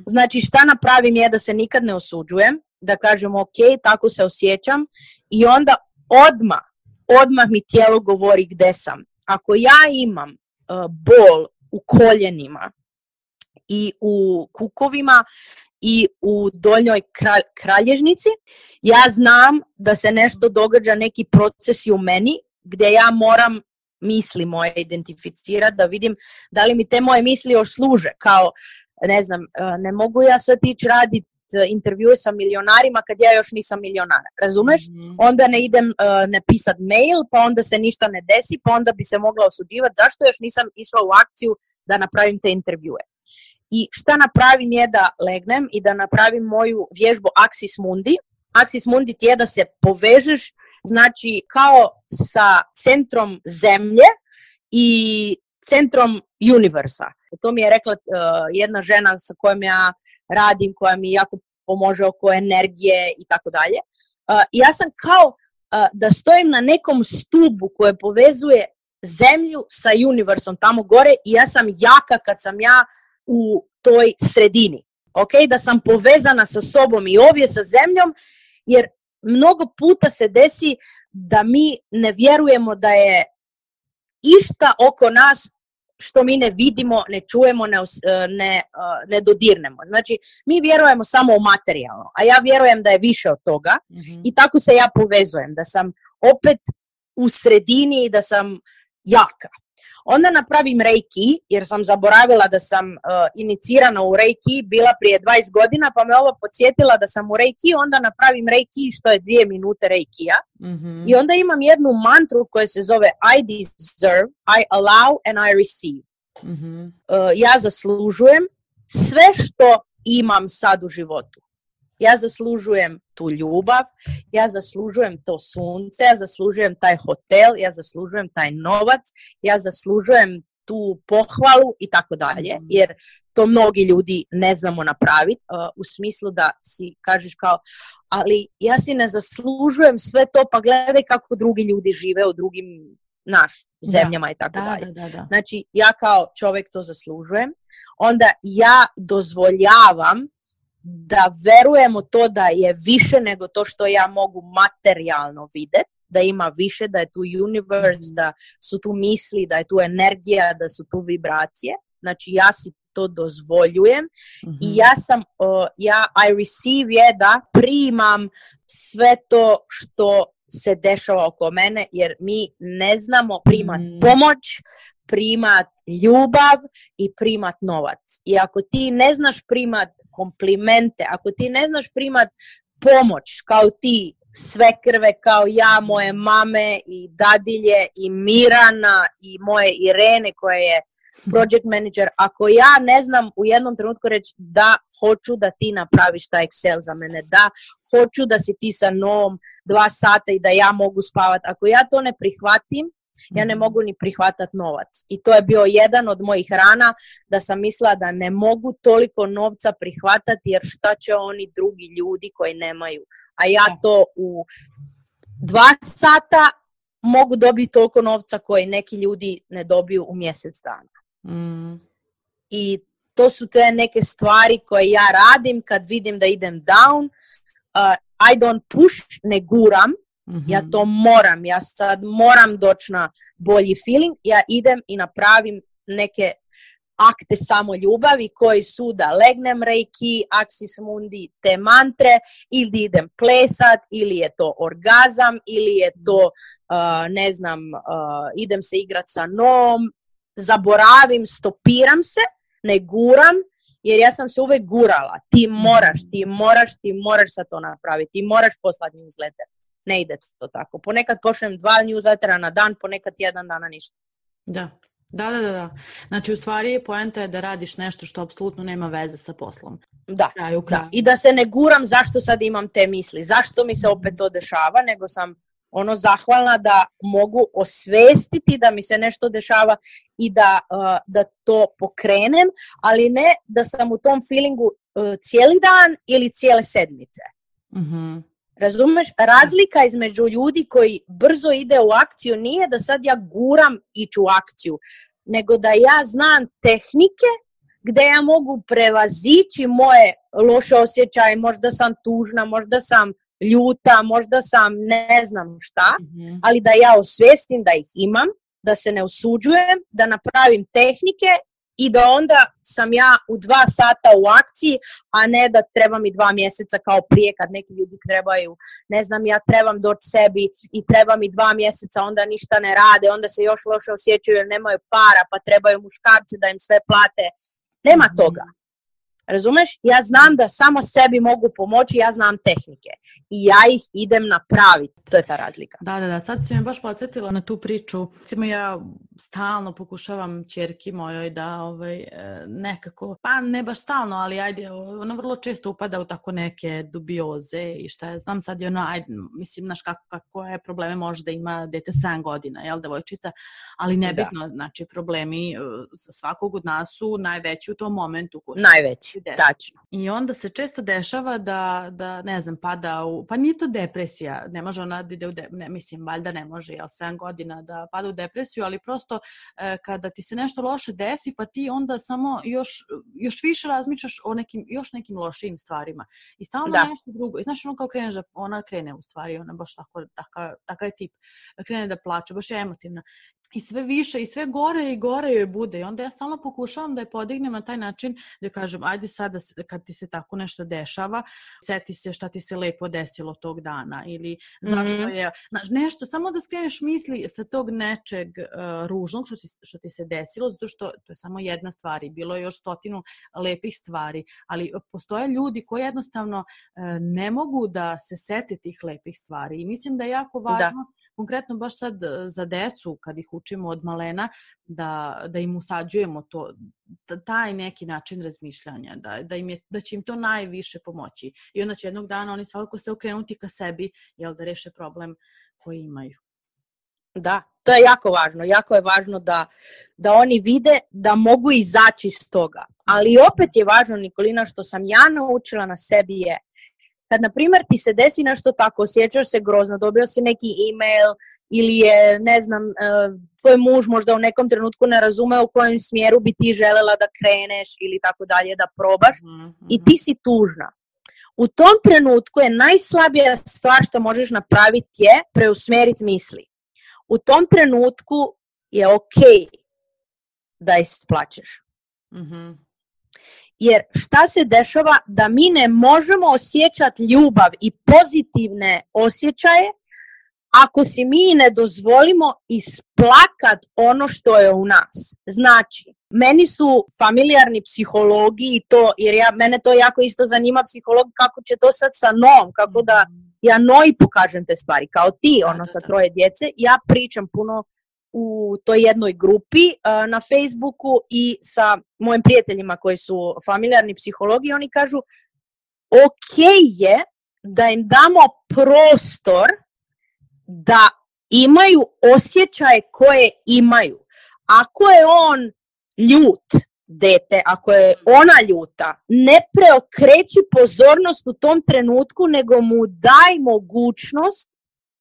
Znači, šta napravim je da se nikad ne osuđujem, da kažem ok, tako se osjećam i onda odmah mi tijelo govori gde sam. Ako ja imam bol u koljenima i u kukovima i u donjoj kralježnici, ja znam da se nešto događa, neki procesi u meni gdje ja moram misli moje identificirati, da vidim da li mi te moje misli još služe. Kao, ne znam, ne mogu ja sad ići raditi intervjue sa milionarima kad ja još nisam milionar, razumeš? Onda ne idem napisat mail, pa onda se ništa ne desi, pa onda bi se mogla osuđivati zašto još nisam išla u akciju da napravim te intervjue. I šta napravim je da legnem i da napravim moju vježbu Axis Mundi. Axis Mundi ti je da se povežeš, znači kao sa centrom zemlje i centrom universa. To mi je rekla jedna žena sa kojom ja radim, koja mi jako pomože oko energije i tako dalje. Ja sam kao da stojim na nekom stubu koje povezuje zemlju sa universom tamo gore i ja sam jaka kad sam ja u toj sredini. Okay? Da sam povezana sa sobom i ovdje sa zemljom, jer mnogo puta se desi da mi ne vjerujemo da je išta oko nas što mi ne vidimo, ne čujemo, ne dodirnemo. Znači, mi vjerujemo samo u materijalno, a ja vjerujem da je više od toga i tako se ja povezujem, da sam opet u sredini i da sam jaka. Onda napravim Reiki, jer sam zaboravila da sam inicirana u Reiki, bila prije 20 godina, pa me ovo podsjetila da sam u Reiki, onda napravim Reiki, što je 2 minute Reikija. I onda imam jednu mantru koja se zove I deserve, I allow and I receive. Ja zaslužujem sve što imam sad u životu. Ja zaslužujem tu ljubav, ja zaslužujem to sunce, ja zaslužujem taj hotel, ja zaslužujem taj novac, ja zaslužujem tu pohvalu i tako dalje, jer to mnogi ljudi ne znamo napraviti, u smislu da si kažeš kao, ali ja si ne zaslužujem sve to, pa gledaj kako drugi ljudi žive u drugim zemljama i tako dalje. Da. Znači, ja kao čovjek to zaslužujem, onda ja dozvoljavam da verujem u to da je više nego to što ja mogu materijalno vidjeti, da ima više, da je tu universe, da su tu misli, da je tu energija, da su tu vibracije. Znači ja si to dozvoljujem i I receive je da primam sve to što se dešava oko mene, jer mi ne znamo primat pomoć, primat ljubav i primat novac. I ako ti ne znaš primat komplimente, ako ti ne znaš primat pomoć kao ti, svekrve kao ja, moje mame i dadilje i Mirana i moje Irene koja je project manager, ako ja ne znam u jednom trenutku reći da hoću da ti napraviš taj Excel za mene, da hoću da si ti sa Noom 2 sata i da ja mogu spavati, ako ja to ne prihvatim, ja ne mogu ni prihvatati novac. I to je bio jedan od mojih rana, da sam mislila da ne mogu toliko novca prihvatati, jer šta će oni drugi ljudi koji nemaju. A ja to u 2 sata mogu dobiti toliko novca koji neki ljudi ne dobiju u mjesec dana. I to su te neke stvari koje ja radim kad vidim da idem down. I don't push, ne guram. Ja to moram. Ja sad moram doći na bolji feeling. Ja idem i napravim neke akte samoljubavi koji su da legnem reiki, Axis Mundi, te mantre, ili idem plesat, ili je to orgazam, ili je to, idem se igrat sa nom, zaboravim, stopiram se, ne guram, jer ja sam se uvek gurala. Ti moraš sad to napraviti, ti moraš poslati newsletter. Ne ide to tako. Ponekad pošljem 2 newslettera na dan, ponekad 1 dana ništa. Da. Znači, u stvari, poenta je da radiš nešto što apsolutno nema veze sa poslom. Da. I da se ne guram zašto sad imam te misli, zašto mi se opet to dešava, nego sam zahvalna da mogu osvestiti da mi se nešto dešava i da to pokrenem, ali ne da sam u tom feelingu cijeli dan ili cijele sedmice. Razumeš? Razlika između ljudi koji brzo ide u akciju nije da sad ja guram ići u akciju, nego da ja znam tehnike gdje ja mogu prevazići moje loše osjećaje, možda sam tužna, možda sam ljuta, možda sam ne znam šta, ali da ja osvestim da ih imam, da se ne osuđujem, da napravim tehnike i da onda sam ja u 2 sata u akciji, a ne da treba mi 2 mjeseca kao prije kad neki ljudi trebaju, ne znam, ja trebam doći sebi i treba mi 2 mjeseca, onda ništa ne rade, onda se još loše osjećaju jer nemaju para, pa trebaju muškarci da im sve plate. Nema toga. Razumeš? Ja znam da samo sebi mogu pomoći, ja znam tehnike i ja ih idem napraviti. To je ta razlika. Da, sad si me baš podsjetila na tu priču. Recimo, ja stalno pokušavam ćerki mojoj da nekako, pa ne baš stalno, ali ajde, ona vrlo često upada u tako neke dubioze i šta ja znam, sad je ona, mislim, znaš kako je probleme može da ima dete 7 godina, jel, devojčica, ali nebitno, znači problemi svakog od nas su najveći u tom momentu. Najveći. Tačno. I onda se često dešava da ne znam, pada u, pa nije to depresija, ne može ona da ide mislim, valjda ne može, 7 godina da pada u depresiju, ali prosto kada ti se nešto loše desi, pa ti onda samo još više razmišljaš o još nekim lošim stvarima. I stalno nešto drugo. I znaš, ono kao kreneš da, ona krene u stvari, ona baš takav je tip, krene da plače, baš je emotivna. I sve više, i sve gore i gore joj bude. I onda ja stalno pokušavam da je podignem na taj način da kažem, ajde sada kad ti se tako nešto dešava, seti se šta ti se lepo desilo tog dana ili zašto je, nešto, samo da skreneš misli sa tog nečeg ružnog što ti se desilo, zato što to je samo jedna stvar i bilo je još 100 lepih stvari, ali postoje ljudi koji jednostavno ne mogu da se sete tih lepih stvari i mislim da je jako važno, konkretno baš sad za decu, kad ih učimo od malena, da im usađujemo to, taj neki način razmišljanja, da će im to najviše pomoći. I onda će jednog dana oni svakako se okrenuti ka sebi, da reše problem koji imaju. Da, to je jako važno. Jako je važno da oni vide da mogu izaći iz toga. Ali opet je važno, Nikolina, što sam ja naučila na sebi je, kad, na primjer, ti se desi nešto tako, osjećaš se grozno, dobio si neki email ili je, ne znam, tvoj muž možda u nekom trenutku ne razume u kojem smjeru bi ti želela da kreneš ili tako dalje, da probaš i ti si tužna. U tom trenutku je najslabija stvar što možeš napraviti je preusmjeriti misli. U tom trenutku je ok da isplačeš. Jer šta se dešava da mi ne možemo osjećati ljubav i pozitivne osjećaje ako si mi ne dozvolimo isplakat ono što je u nas. Znači, meni su familijarni psihologi i to, jer mene to jako isto zanima, psiholog, kako će to sad sa Noom, kako da ja Noji pokažem te stvari, kao ti, sa 3 djece. Ja pričam puno u toj jednoj grupi na Facebooku i sa mojim prijateljima koji su familijarni psihologi, oni kažu ok je da im damo prostor da imaju osjećaje koje imaju. Ako je on ljut, dete, ako je ona ljuta, ne preokreći pozornost u tom trenutku, nego mu daj mogućnost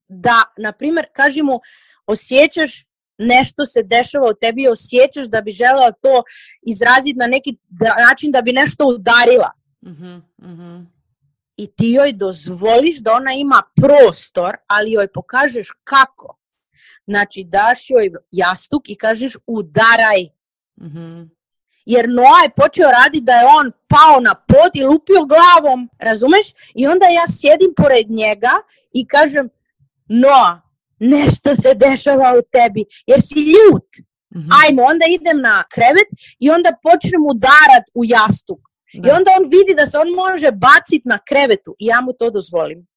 da, na primjer, kaži mu, osjećaš nešto se dešava u tebi, osjećaš da bi želela to izraziti na neki način da bi nešto udarila. I ti joj dozvoliš da ona ima prostor, ali joj pokažeš kako. Znači, daš joj jastuk i kažeš udaraj. Jer Noa je počeo raditi da je on pao na pod i lupio glavom, razumeš? I onda ja sjedim pored njega i kažem, Noa, nešto se dešava u tebi, jer si ljut. Ajmo, onda idem na krevet i onda počnem udarat u jastuk. Da. I onda on vidi da se on može baciti na krevetu i ja mu to dozvolim.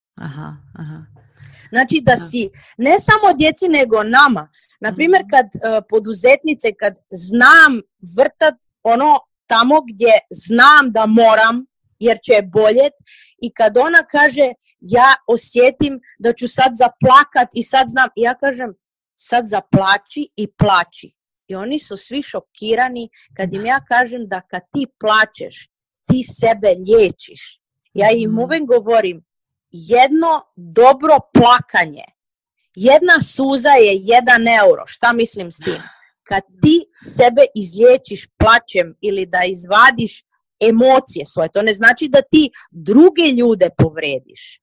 Znači da si, ne samo djeci, nego nama. Naprimjer, kad poduzetnice, kad znam vrtat ono tamo gdje znam da moram, jer će je boljet, i kad ona kaže, ja osjetim da ću sad zaplakat i sad znam, i ja kažem, sad zaplači i plači. I oni su svi šokirani kad im ja kažem da kad ti plačeš, ti sebe liječiš. Ja im uvijek govorim, jedno dobro plakanje, jedna suza je 1 euro. Šta mislim s tim? Kad ti sebe izliječiš plaćem ili da izvadiš emocije svoje, to ne znači da ti druge ljude povrediš.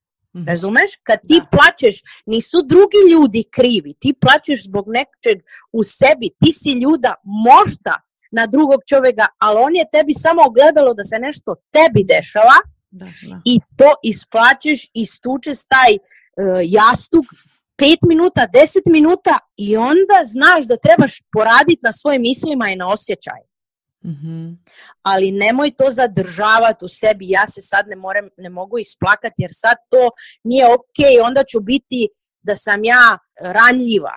Razumeš? Kad ti plačeš, nisu drugi ljudi krivi, ti plačeš zbog nečeg u sebi, ti si ljuda možda na drugog čovjeka, ali on je tebi samo ogledalo da se nešto tebi dešava i to isplačeš, istučeš taj jastuk 5 minuta, 10 minuta i onda znaš da trebaš poraditi na svojim mislima i na osjećaju. Ali nemoj to zadržavati u sebi, ja se sad ne mogu isplakati jer sad to nije ok, onda ću biti da sam ja ranljiva.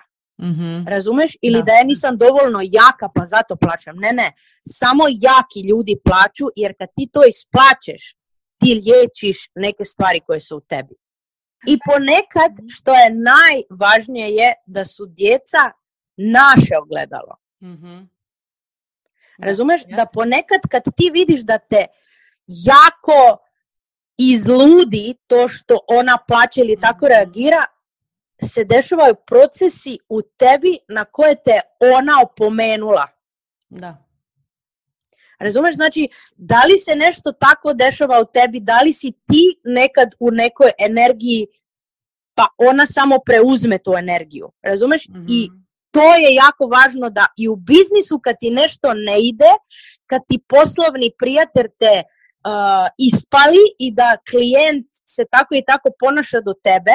Razumeš? Ili da ja nisam dovoljno jaka pa zato plaćam. Ne, samo jaki ljudi plaću jer kad ti to isplaćeš, ti liječiš neke stvari koje su u tebi. I ponekad, što je najvažnije je da su djeca naše ogledalo. Razumeš? Da ponekad kad ti vidiš da te jako izludi to što ona plaće ili tako reagira, se dešavaju procesi u tebi na koje te ona opomenula. Da. Razumeš? Znači, da li se nešto tako dešava u tebi, da li si ti nekad u nekoj energiji, pa ona samo preuzme tu energiju. Razumeš? I to je jako važno da i u biznisu kad ti nešto ne ide, kad ti poslovni prijatelj te ispali i da klijent se tako i tako ponaša do tebe,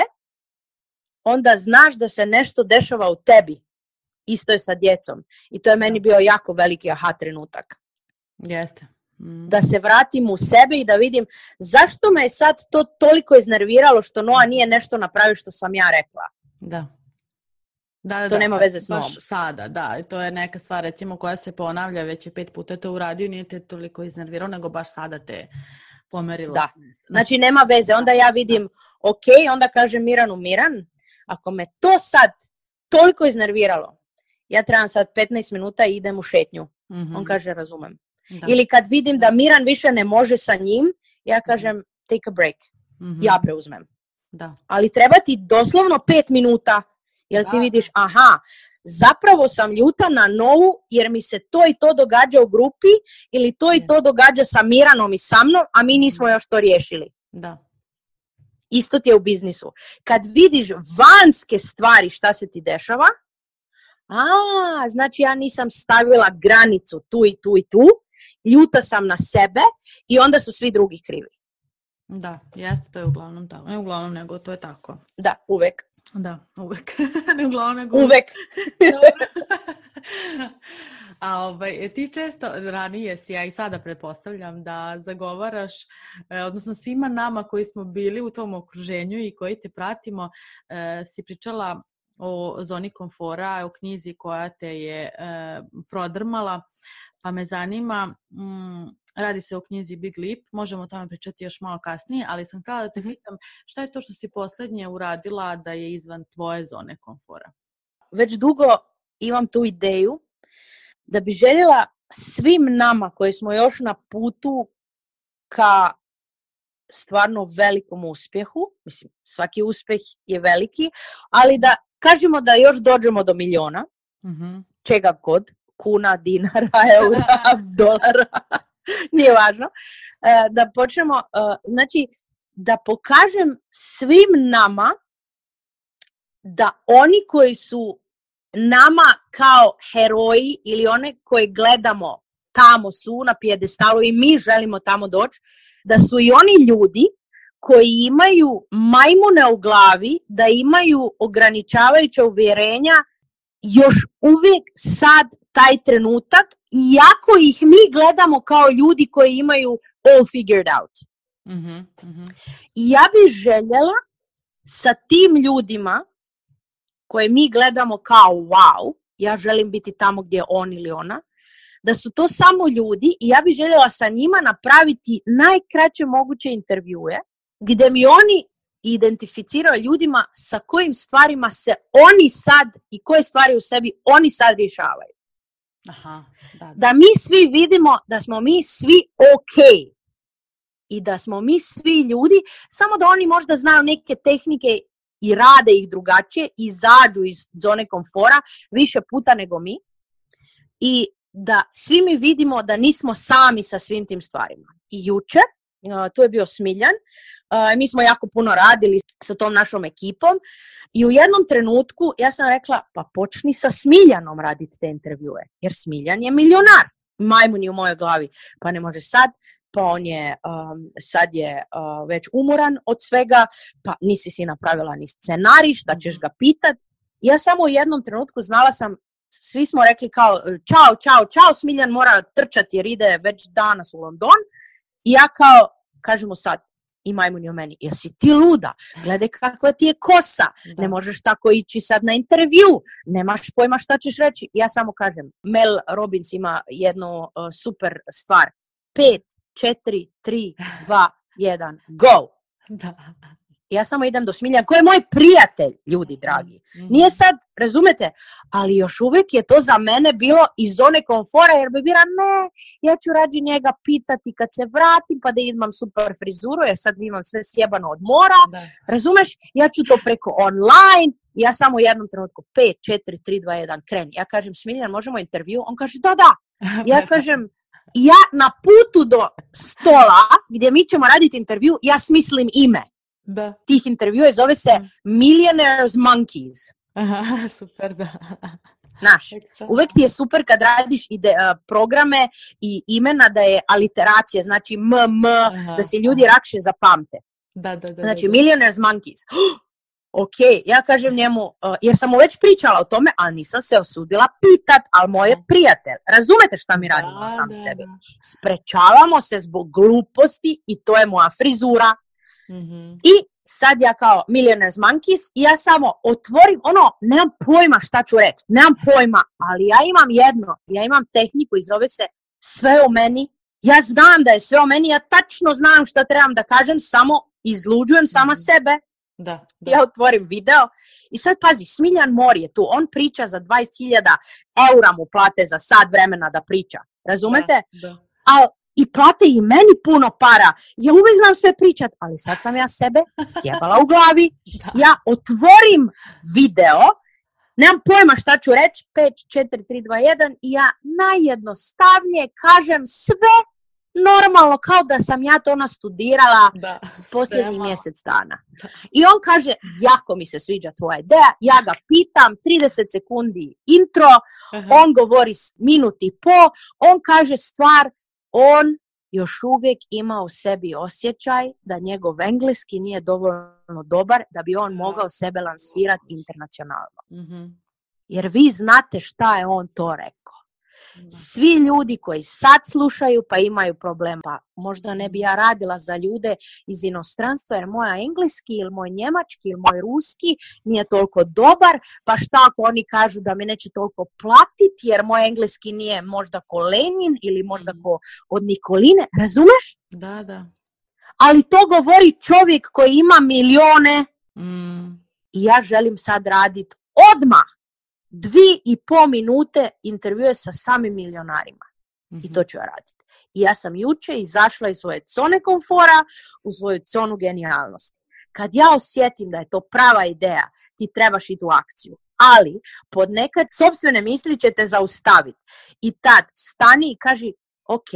onda znaš da se nešto dešava u tebi. Isto je sa djecom. I to je meni bio jako veliki aha trenutak. Jeste. Da se vratim u sebe i da vidim zašto me je sad to toliko iznerviralo što Noa nije nešto napravio što sam ja rekla. Da, to nema veze s Noom. Sada, da. To je neka stvar recimo koja se ponavlja, već je 5 puta to uradio, nije te toliko iznervirao, nego baš sada te pomerilo. Da. Znači nema veze. Onda ja vidim, ok, onda kažem Miranu, Miran, ako me to sad toliko iznerviralo, ja trebam sad 15 minuta i idem u šetnju. On kaže, razumem. Da. Ili kad vidim da Miran više ne može sa njim, ja kažem, take a break. Ja preuzmem. Da. Ali treba ti doslovno 5 minuta, jer ti vidiš, aha, zapravo sam ljuta na Novu, jer mi se to i to događa u grupi, ili to i to događa sa Miranom i sa mnom, a mi nismo još to riješili. Da. Isto ti je u biznisu. Kad vidiš vanjske stvari šta se ti dešava, znači ja nisam stavila granicu tu i tu i tu, ljuta sam na sebe i onda su svi drugi krivi. Da, jeste, to je uglavnom tako. Ne uglavnom, nego to je tako. Da, uvek. Da, uvek. Ne uglavnom, nego uvek. A ti često ranije si, ja i sada pretpostavljam da zagovaraš, odnosno svima nama koji smo bili u tom okruženju i koji te pratimo, si pričala o zoni komfora, o knjizi koja te je prodrmala, pa me zanima radi se o knjizi Big Leap, možemo o tome pričati još malo kasnije, ali sam htjela da te pitam šta je to što si poslednje uradila da je izvan tvoje zone komfora? Već dugo imam tu ideju da bi željela svim nama koji smo još na putu ka stvarno velikom uspjehu, mislim svaki uspjeh je veliki, ali da kažemo da još dođemo do miliona, čega god, kuna, dinara, eura, dolara, nije važno, da počnemo, znači da pokažem svim nama da oni koji su nama kao heroji ili one koje gledamo tamo su na pijedestalu i mi želimo tamo doći, da su i oni ljudi koji imaju majmune u glavi, da imaju ograničavajuća uvjerenja još uvijek sad taj trenutak, iako ih mi gledamo kao ljudi koji imaju all figured out. I ja bih željela sa tim ljudima koje mi gledamo kao wow, ja želim biti tamo gdje je on ili ona, da su to samo ljudi i ja bih željela sa njima napraviti najkraće moguće intervjue gdje mi oni identificiraju ljudima sa kojim stvarima se oni sad i koje stvari u sebi oni sad rješavaju. Da mi svi vidimo da smo mi svi ok i da smo mi svi ljudi, samo da oni možda znaju neke tehnike i rade ih drugačije, izađu iz zone komfora više puta nego mi i da svi mi vidimo da nismo sami sa svim tim stvarima. I jučer, to je bio Smiljan, mi smo jako puno radili sa tom našom ekipom i u jednom trenutku ja sam rekla pa počni sa Smiljanom raditi te intervjue, jer Smiljan je milionar, majmun je u mojoj glavi, pa ne može sad, pa on je, sad je već umoran od svega, pa nisi si napravila ni scenarij, šta ćeš ga pitat. Ja samo u jednom trenutku znala sam, svi smo rekli kao čao, Smiljan mora trčati jer ide već danas u London i ja kao, kažemo sad, i majmun je u meni, jesi ti luda, gledaj kakva ti je kosa, ne možeš tako ići sad na intervju, nemaš pojma šta ćeš reći. Ja samo kažem, Mel Robbins ima jednu super stvar, 5, 4, 3, 2, 1, go! Ja samo idem do Smiljan, koji je moj prijatelj, ljudi dragi. Nije sad, razumete, ali još uvijek je to za mene bilo iz zone komfora, jer bi bila, ne, ja ću rađi njega pitati kad se vratim, pa da imam super frizuru, jer sad imam sve sjebano od mora, razumeš, ja ću to preko online, ja samo u jednom trenutku, 5, 4, 3, 2, 1, kreni. Ja kažem, Smiljan, možemo intervju? On kaže, da. Ja kažem, ja na putu do stola, gdje mi ćemo raditi intervju, ja smislim ime. Tih intervjua zove se Millionaires Monkeys. Aha, super, da. Znaš, uvijek ti je super kad radiš programe i imena da je aliteracija, znači da se ljudi lakše zapamte. Znači, Millionaires Monkeys. Ok, ja kažem njemu, jer sam mu već pričala o tome, ali nisam se osudila pitat, ali moj je prijatelj. Razumete šta mi radimo sam sebi? Sprečavamo se zbog gluposti i to je moja frizura. I sad ja kao Millionaires Monkeys i ja samo otvorim, nemam pojma šta ću reći, nemam pojma, ali ja imam ja imam tehniku i zove se sve o meni, ja znam da je sve o meni, ja tačno znam šta trebam da kažem, samo izluđujem sama sebe. Ja otvorim video i sad pazi, Smiljan Mor je tu, on priča za 20.000 eura mu plate za sat vremena da priča, razumete? Ali i plate i meni puno para. Ja uvijek znam sve pričat, ali sad sam ja sebe sjebala u glavi. Ja otvorim video, nemam pojma šta ću reći, 5, 4, 3, 2, 1 i ja najjednostavnije kažem sve normalno kao da sam ja to nastudirala posljednji mjesec dana. I on kaže, jako mi se sviđa tvoja ideja, ja ga pitam, 30 sekundi intro, on govori minut i po, on kaže stvar, on još uvijek ima u sebi osjećaj da njegov engleski nije dovoljno dobar da bi on mogao sebe lansirati internacionalno. Jer vi znate šta je on to rekao. Svi ljudi koji sad slušaju pa imaju problem, pa možda ne bi ja radila za ljude iz inostranstva jer moj engleski ili moj njemački ili moj ruski nije toliko dobar, pa šta ako oni kažu da mi neće toliko platiti jer moj engleski nije možda ko Lenin ili možda ko od Nikoline, razumeš? Da. Ali to govori čovjek koji ima milione i ja želim sad raditi odmah 2,5 minute intervjue sa samim milionarima. I to ću ja raditi. I ja sam jučer izašla iz svoje zone komfora u svoju zonu genijalnosti. Kad ja osjetim da je to prava ideja, ti trebaš ići u akciju. Ali pod nekad sopstvene misli će te zaustaviti. I tad stani i kaži, ok,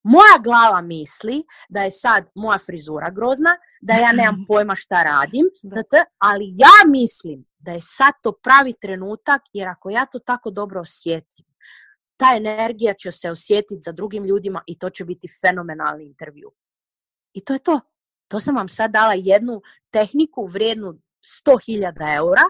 moja glava misli da je sad moja frizura grozna, da ja nemam pojma šta radim, ali ja mislim da je sad to pravi trenutak, jer ako ja to tako dobro osjetim, ta energija će se osjetiti za drugim ljudima i to će biti fenomenalni intervju. I to je to. To sam vam sad dala jednu tehniku vrijednu 100.000 eura.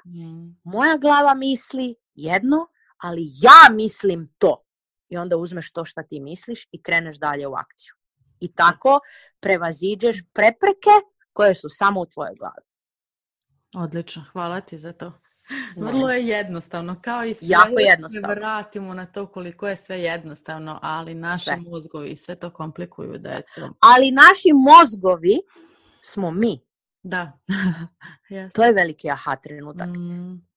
Moja glava misli jedno, ali ja mislim to. I onda uzmeš to što ti misliš i kreneš dalje u akciju. I tako prevaziđeš prepreke koje su samo u tvojoj glavi. Odlično, hvala ti za to. Vrlo je jednostavno, kao i sve. Jako jednostavno. Ne vratimo na to koliko je sve jednostavno, ali naši mozgovi sve to komplikuju. Da je to... Ali naši mozgovi smo mi. Da. To je veliki aha trenutak.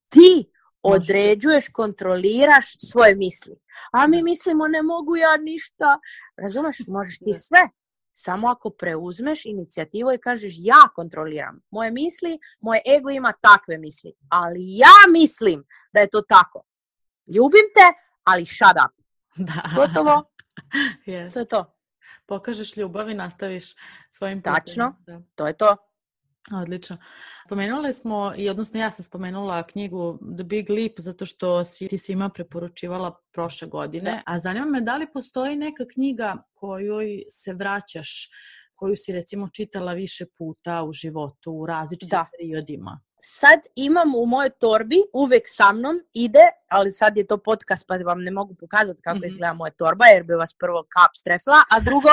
Ti određuješ, kontroliraš svoje misli. A mi mislimo ne mogu ja ništa. Razumeš, možeš ti sve. Samo ako preuzmeš inicijativu i kažeš ja kontroliram moje misli, moje ego ima takve misli. Ali ja mislim da je to tako. Ljubim te, ali shut up. Da. Gotovo. To je to. Pokažeš ljubav i nastaviš svojim putem. Tačno, to je to. Odlično. Spomenuli smo, odnosno ja sam spomenula knjigu The Big Leap zato što ti svima preporučivala prošle godine, a zanima me da li postoji neka knjiga kojoj se vraćaš, koju si recimo čitala više puta u životu, u različitim periodima. Sad imam u mojoj torbi, uvijek sa mnom ide, ali sad je to podcast pa vam ne mogu pokazati kako izgleda moja torba jer bi vas prvo kap strefla, a drugo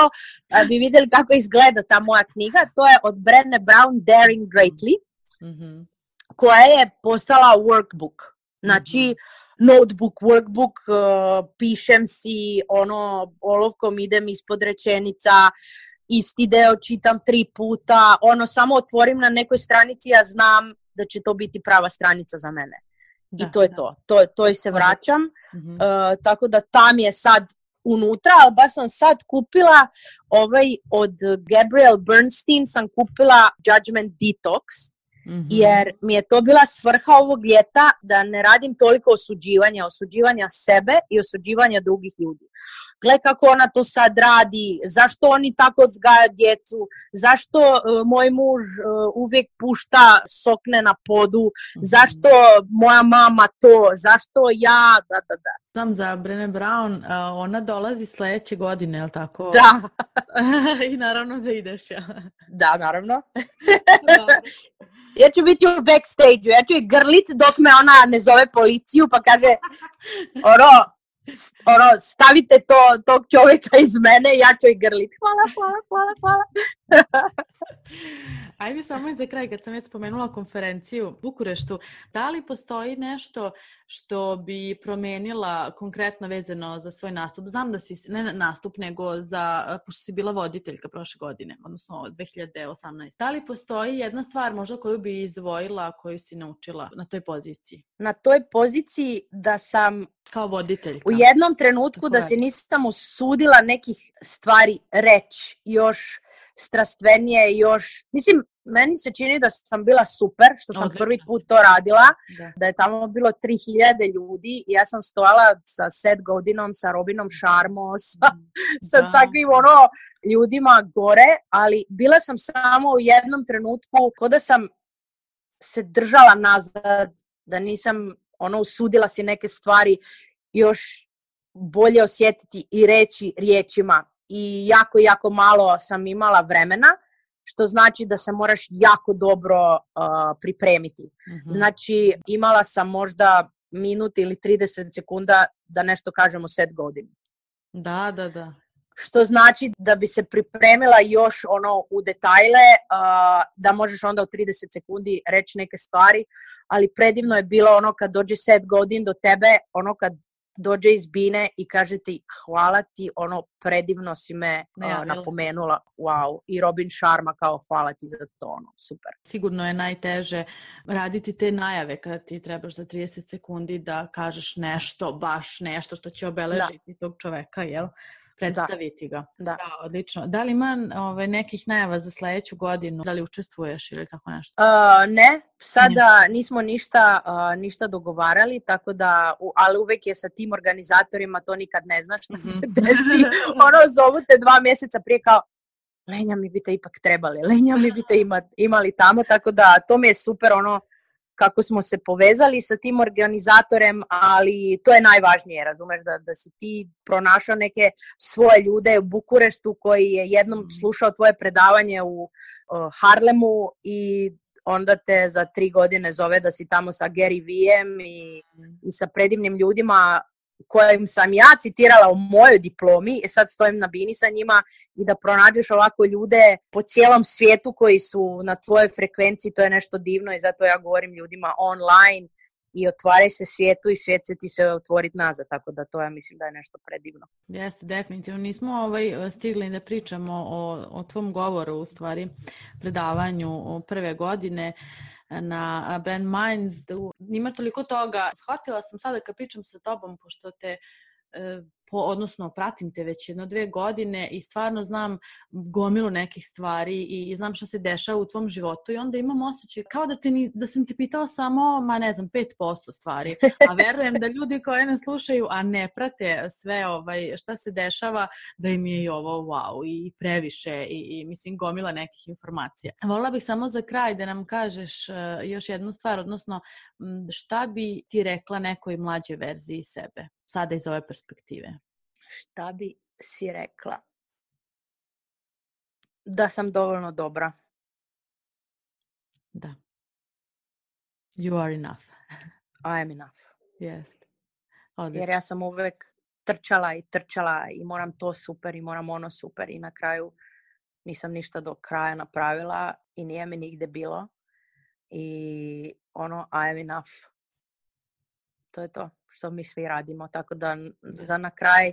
bi vidjeli kako izgleda ta moja knjiga. To je od Brené Brown, Daring Greatly, koja je postala workbook. Znači, notebook, workbook, pišem si, olovkom idem ispod rečenica, isti deo čitam 3 puta, samo otvorim na nekoj stranici, ja znam da će to biti prava stranica za mene. I to je to. To se vraćam. Tako da tam je sad unutra, ali baš sam sad kupila od Gabrielle Bernstein sam kupila Judgment Detox, jer mi je to bila svrha ovog ljeta da ne radim toliko osuđivanja sebe i osuđivanja drugih ljudi. Gle kako ona to sad radi, zašto oni tako odgaja djecu, zašto moj muž uvijek pušta sokne na podu, zašto moja mama to, zašto ja, da. Znam za Brené Brown, ona dolazi sljedeće godine, je li tako? Da. I naravno da ideš, ja. Da, naravno. Ja ću biti u backstage-u, ja ću i grlit dok me ona ne zove policiju pa kaže, stavite tog čovjeka iz mene, ja ću i grlit. Hvala. Ajde samo i za kraj, kad sam već spomenula konferenciju u Bukureštu, da li postoji nešto što bi promijenila konkretno vezano za svoj nastup? Znam da si, ne nastup, nego pošto si bila voditeljka prošle godine, odnosno 2018. Da li postoji jedna stvar možda koju bi izdvojila, koju si naučila na toj poziciji? Na toj poziciji da sam kao voditeljka. U jednom trenutku da se nisam usudila nekih stvari reći još strastvenije, još... Mislim, meni se čini da sam bila super, što sam prvi put to radila, da je tamo bilo 3000 ljudi i ja sam stojala sa Seth Godinom, sa Robinom Sharmo, sa takvim ljudima gore, ali bila sam samo u jednom trenutku ko da sam se držala nazad, da nisam usudila si neke stvari još bolje osjetiti i reći riječima. I jako malo sam imala vremena, što znači da se moraš jako dobro pripremiti. Znači, imala sam možda minut ili 30 sekunda da nešto kažemo set godinu. Da. Što znači da bi se pripremila još u detajle, da možeš onda u 30 sekundi reći neke stvari, ali predivno je bilo kad dođe set godin do tebe, kad dođe iz Bine i kaže ti hvala ti, predivno si me napomenula, wow, i Robin Sharma kao hvala ti za to, super. Sigurno je najteže raditi te najave kada ti trebaš za 30 sekundi da kažeš nešto, baš nešto što će obeležiti tog čoveka, jel? Predstaviti ga. Da, odlično. Da li ima nekih najava za sledeću godinu? Da li učestvuješ ili tako nešto? Ne, sada nismo ništa dogovarali, tako da, ali uvek je sa tim organizatorima, to nikad ne znaš šta se desi. Zovu te 2 mjeseca prije kao Lenja, mi biste ipak trebali, Lenja, mi biste imali tamo, tako da to mi je super kako smo se povezali sa tim organizatorem, ali to je najvažnije, razumeš, da si ti pronašao neke svoje ljude u Bukureštu koji je jednom slušao tvoje predavanje u Harlemu i onda te za 3 godine zove da si tamo sa Gary Vee'em i sa predivnim ljudima kojim sam ja citirala u mojoj diplomi, sad stojim na Bini sa njima i da pronađeš ovako ljude po cijelom svijetu koji su na tvojoj frekvenciji, to je nešto divno i zato ja govorim ljudima online i otvaraj se svijetu i svijet se ti se otvoriti nazad, tako da to ja mislim da je nešto predivno. Jeste, definitivno. Nismo stigli da pričamo o tvom govoru, u stvari predavanju prve godine na Brand Mind. Ima toliko toga. Shvatila sam sada kad pričam sa tobom, pošto te odnosno pratim te već 1-2 godine i stvarno znam gomilu nekih stvari i znam što se dešava u tvom životu i onda imam osjećaj kao da sam ti pitala samo, 5% stvari, a verujem da ljudi koji nas slušaju, a ne prate sve šta se dešava, da im je i ovo wow i previše i mislim gomila nekih informacija. Volila bih samo za kraj da nam kažeš još jednu stvar, odnosno šta bi ti rekla nekoj mlađoj verziji sebe, sada iz ove perspektive? Šta bi si rekla? Da sam dovoljno dobra. Da. You are enough. I am enough. Jest. Jer ja sam uvek trčala i moram to super i moram ono super i na kraju nisam ništa do kraja napravila i nije mi nigde bilo. I I am enough. To je to što mi svi radimo. Tako da za na kraj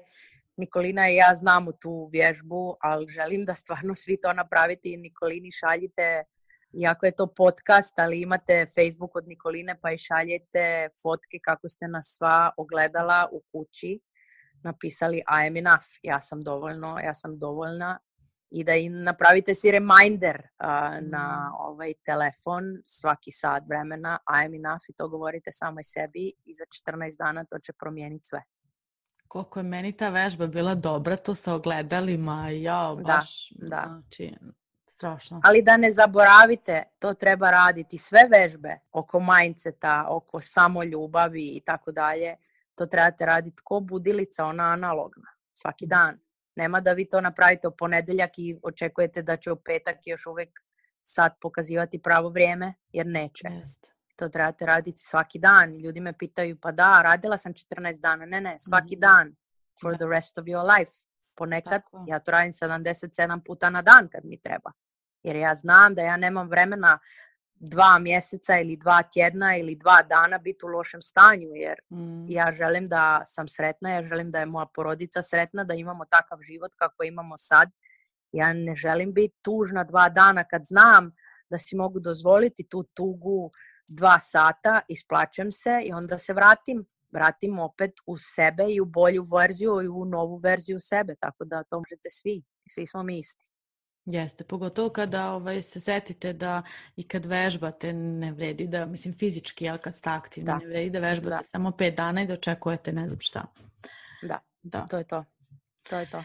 Nikolina i ja znamo tu vježbu, ali želim da stvarno svi to napravite i Nikolini šaljite, iako je to podcast, ali imate Facebook od Nikoline pa i šaljete fotke kako ste nas sva ogledala u kući, napisali I am enough, ja sam dovoljna i da im napravite si reminder na ovaj telefon svaki sat vremena I am enough i to govorite samoj sebi i za 14 dana to će promijeniti sve. Koliko je meni ta vežba bila dobra, to sa ogledalima, baš, znači, strašno. Ali da ne zaboravite, to treba raditi, sve vežbe oko mindseta, oko samoljubavi i tako dalje, to trebate raditi ko budilica, ona analogna, svaki dan. Nema da vi to napravite u ponedeljak i očekujete da će u petak još uvijek sad pokazivati pravo vrijeme, jer neće. Jest. To trebate raditi svaki dan. Ljudi me pitaju, pa da, radila sam 14 dana. Ne, svaki dan. For the rest of your life. Ponekad ja to radim 77 puta na dan kad mi treba. Jer ja znam da ja nemam vremena 2 mjeseca ili 2 tjedna ili 2 dana biti u lošem stanju. Jer ja želim da sam sretna, ja želim da je moja porodica sretna, da imamo takav život kako imamo sad. Ja ne želim biti tužna 2 dana kad znam da si mogu dozvoliti tu tugu 2 sata, isplačem se i onda se vratim opet u sebe i u bolju verziju i u novu verziju sebe, tako da to možete svi smo mi isti. Jeste, pogotovo kada se setite da i kad vežbate ne vredi da, mislim fizički, ali kad ste aktivni, ne vredi da vežbate samo 5 dana i da očekujete ne znam šta. Da. To je to.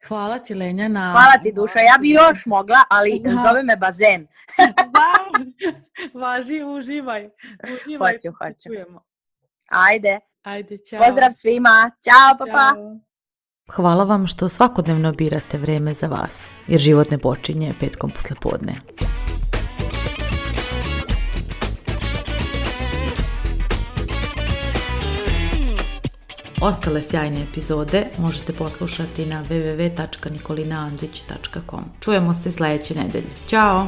Hvala ti, Lenja. Hvala ti, Duša. Ja bi još mogla, ali zove me bazen. Važi, uživaj. Hoću. Ajde, čao. Pozdrav svima. Ćao, papa. Hvala vam što svakodnevno birate vreme za vas, jer život ne počinje petkom poslepodne. Ostale sjajne epizode možete poslušati na www.nikolinaandrić.com. Čujemo se sledeće nedelje. Ćao!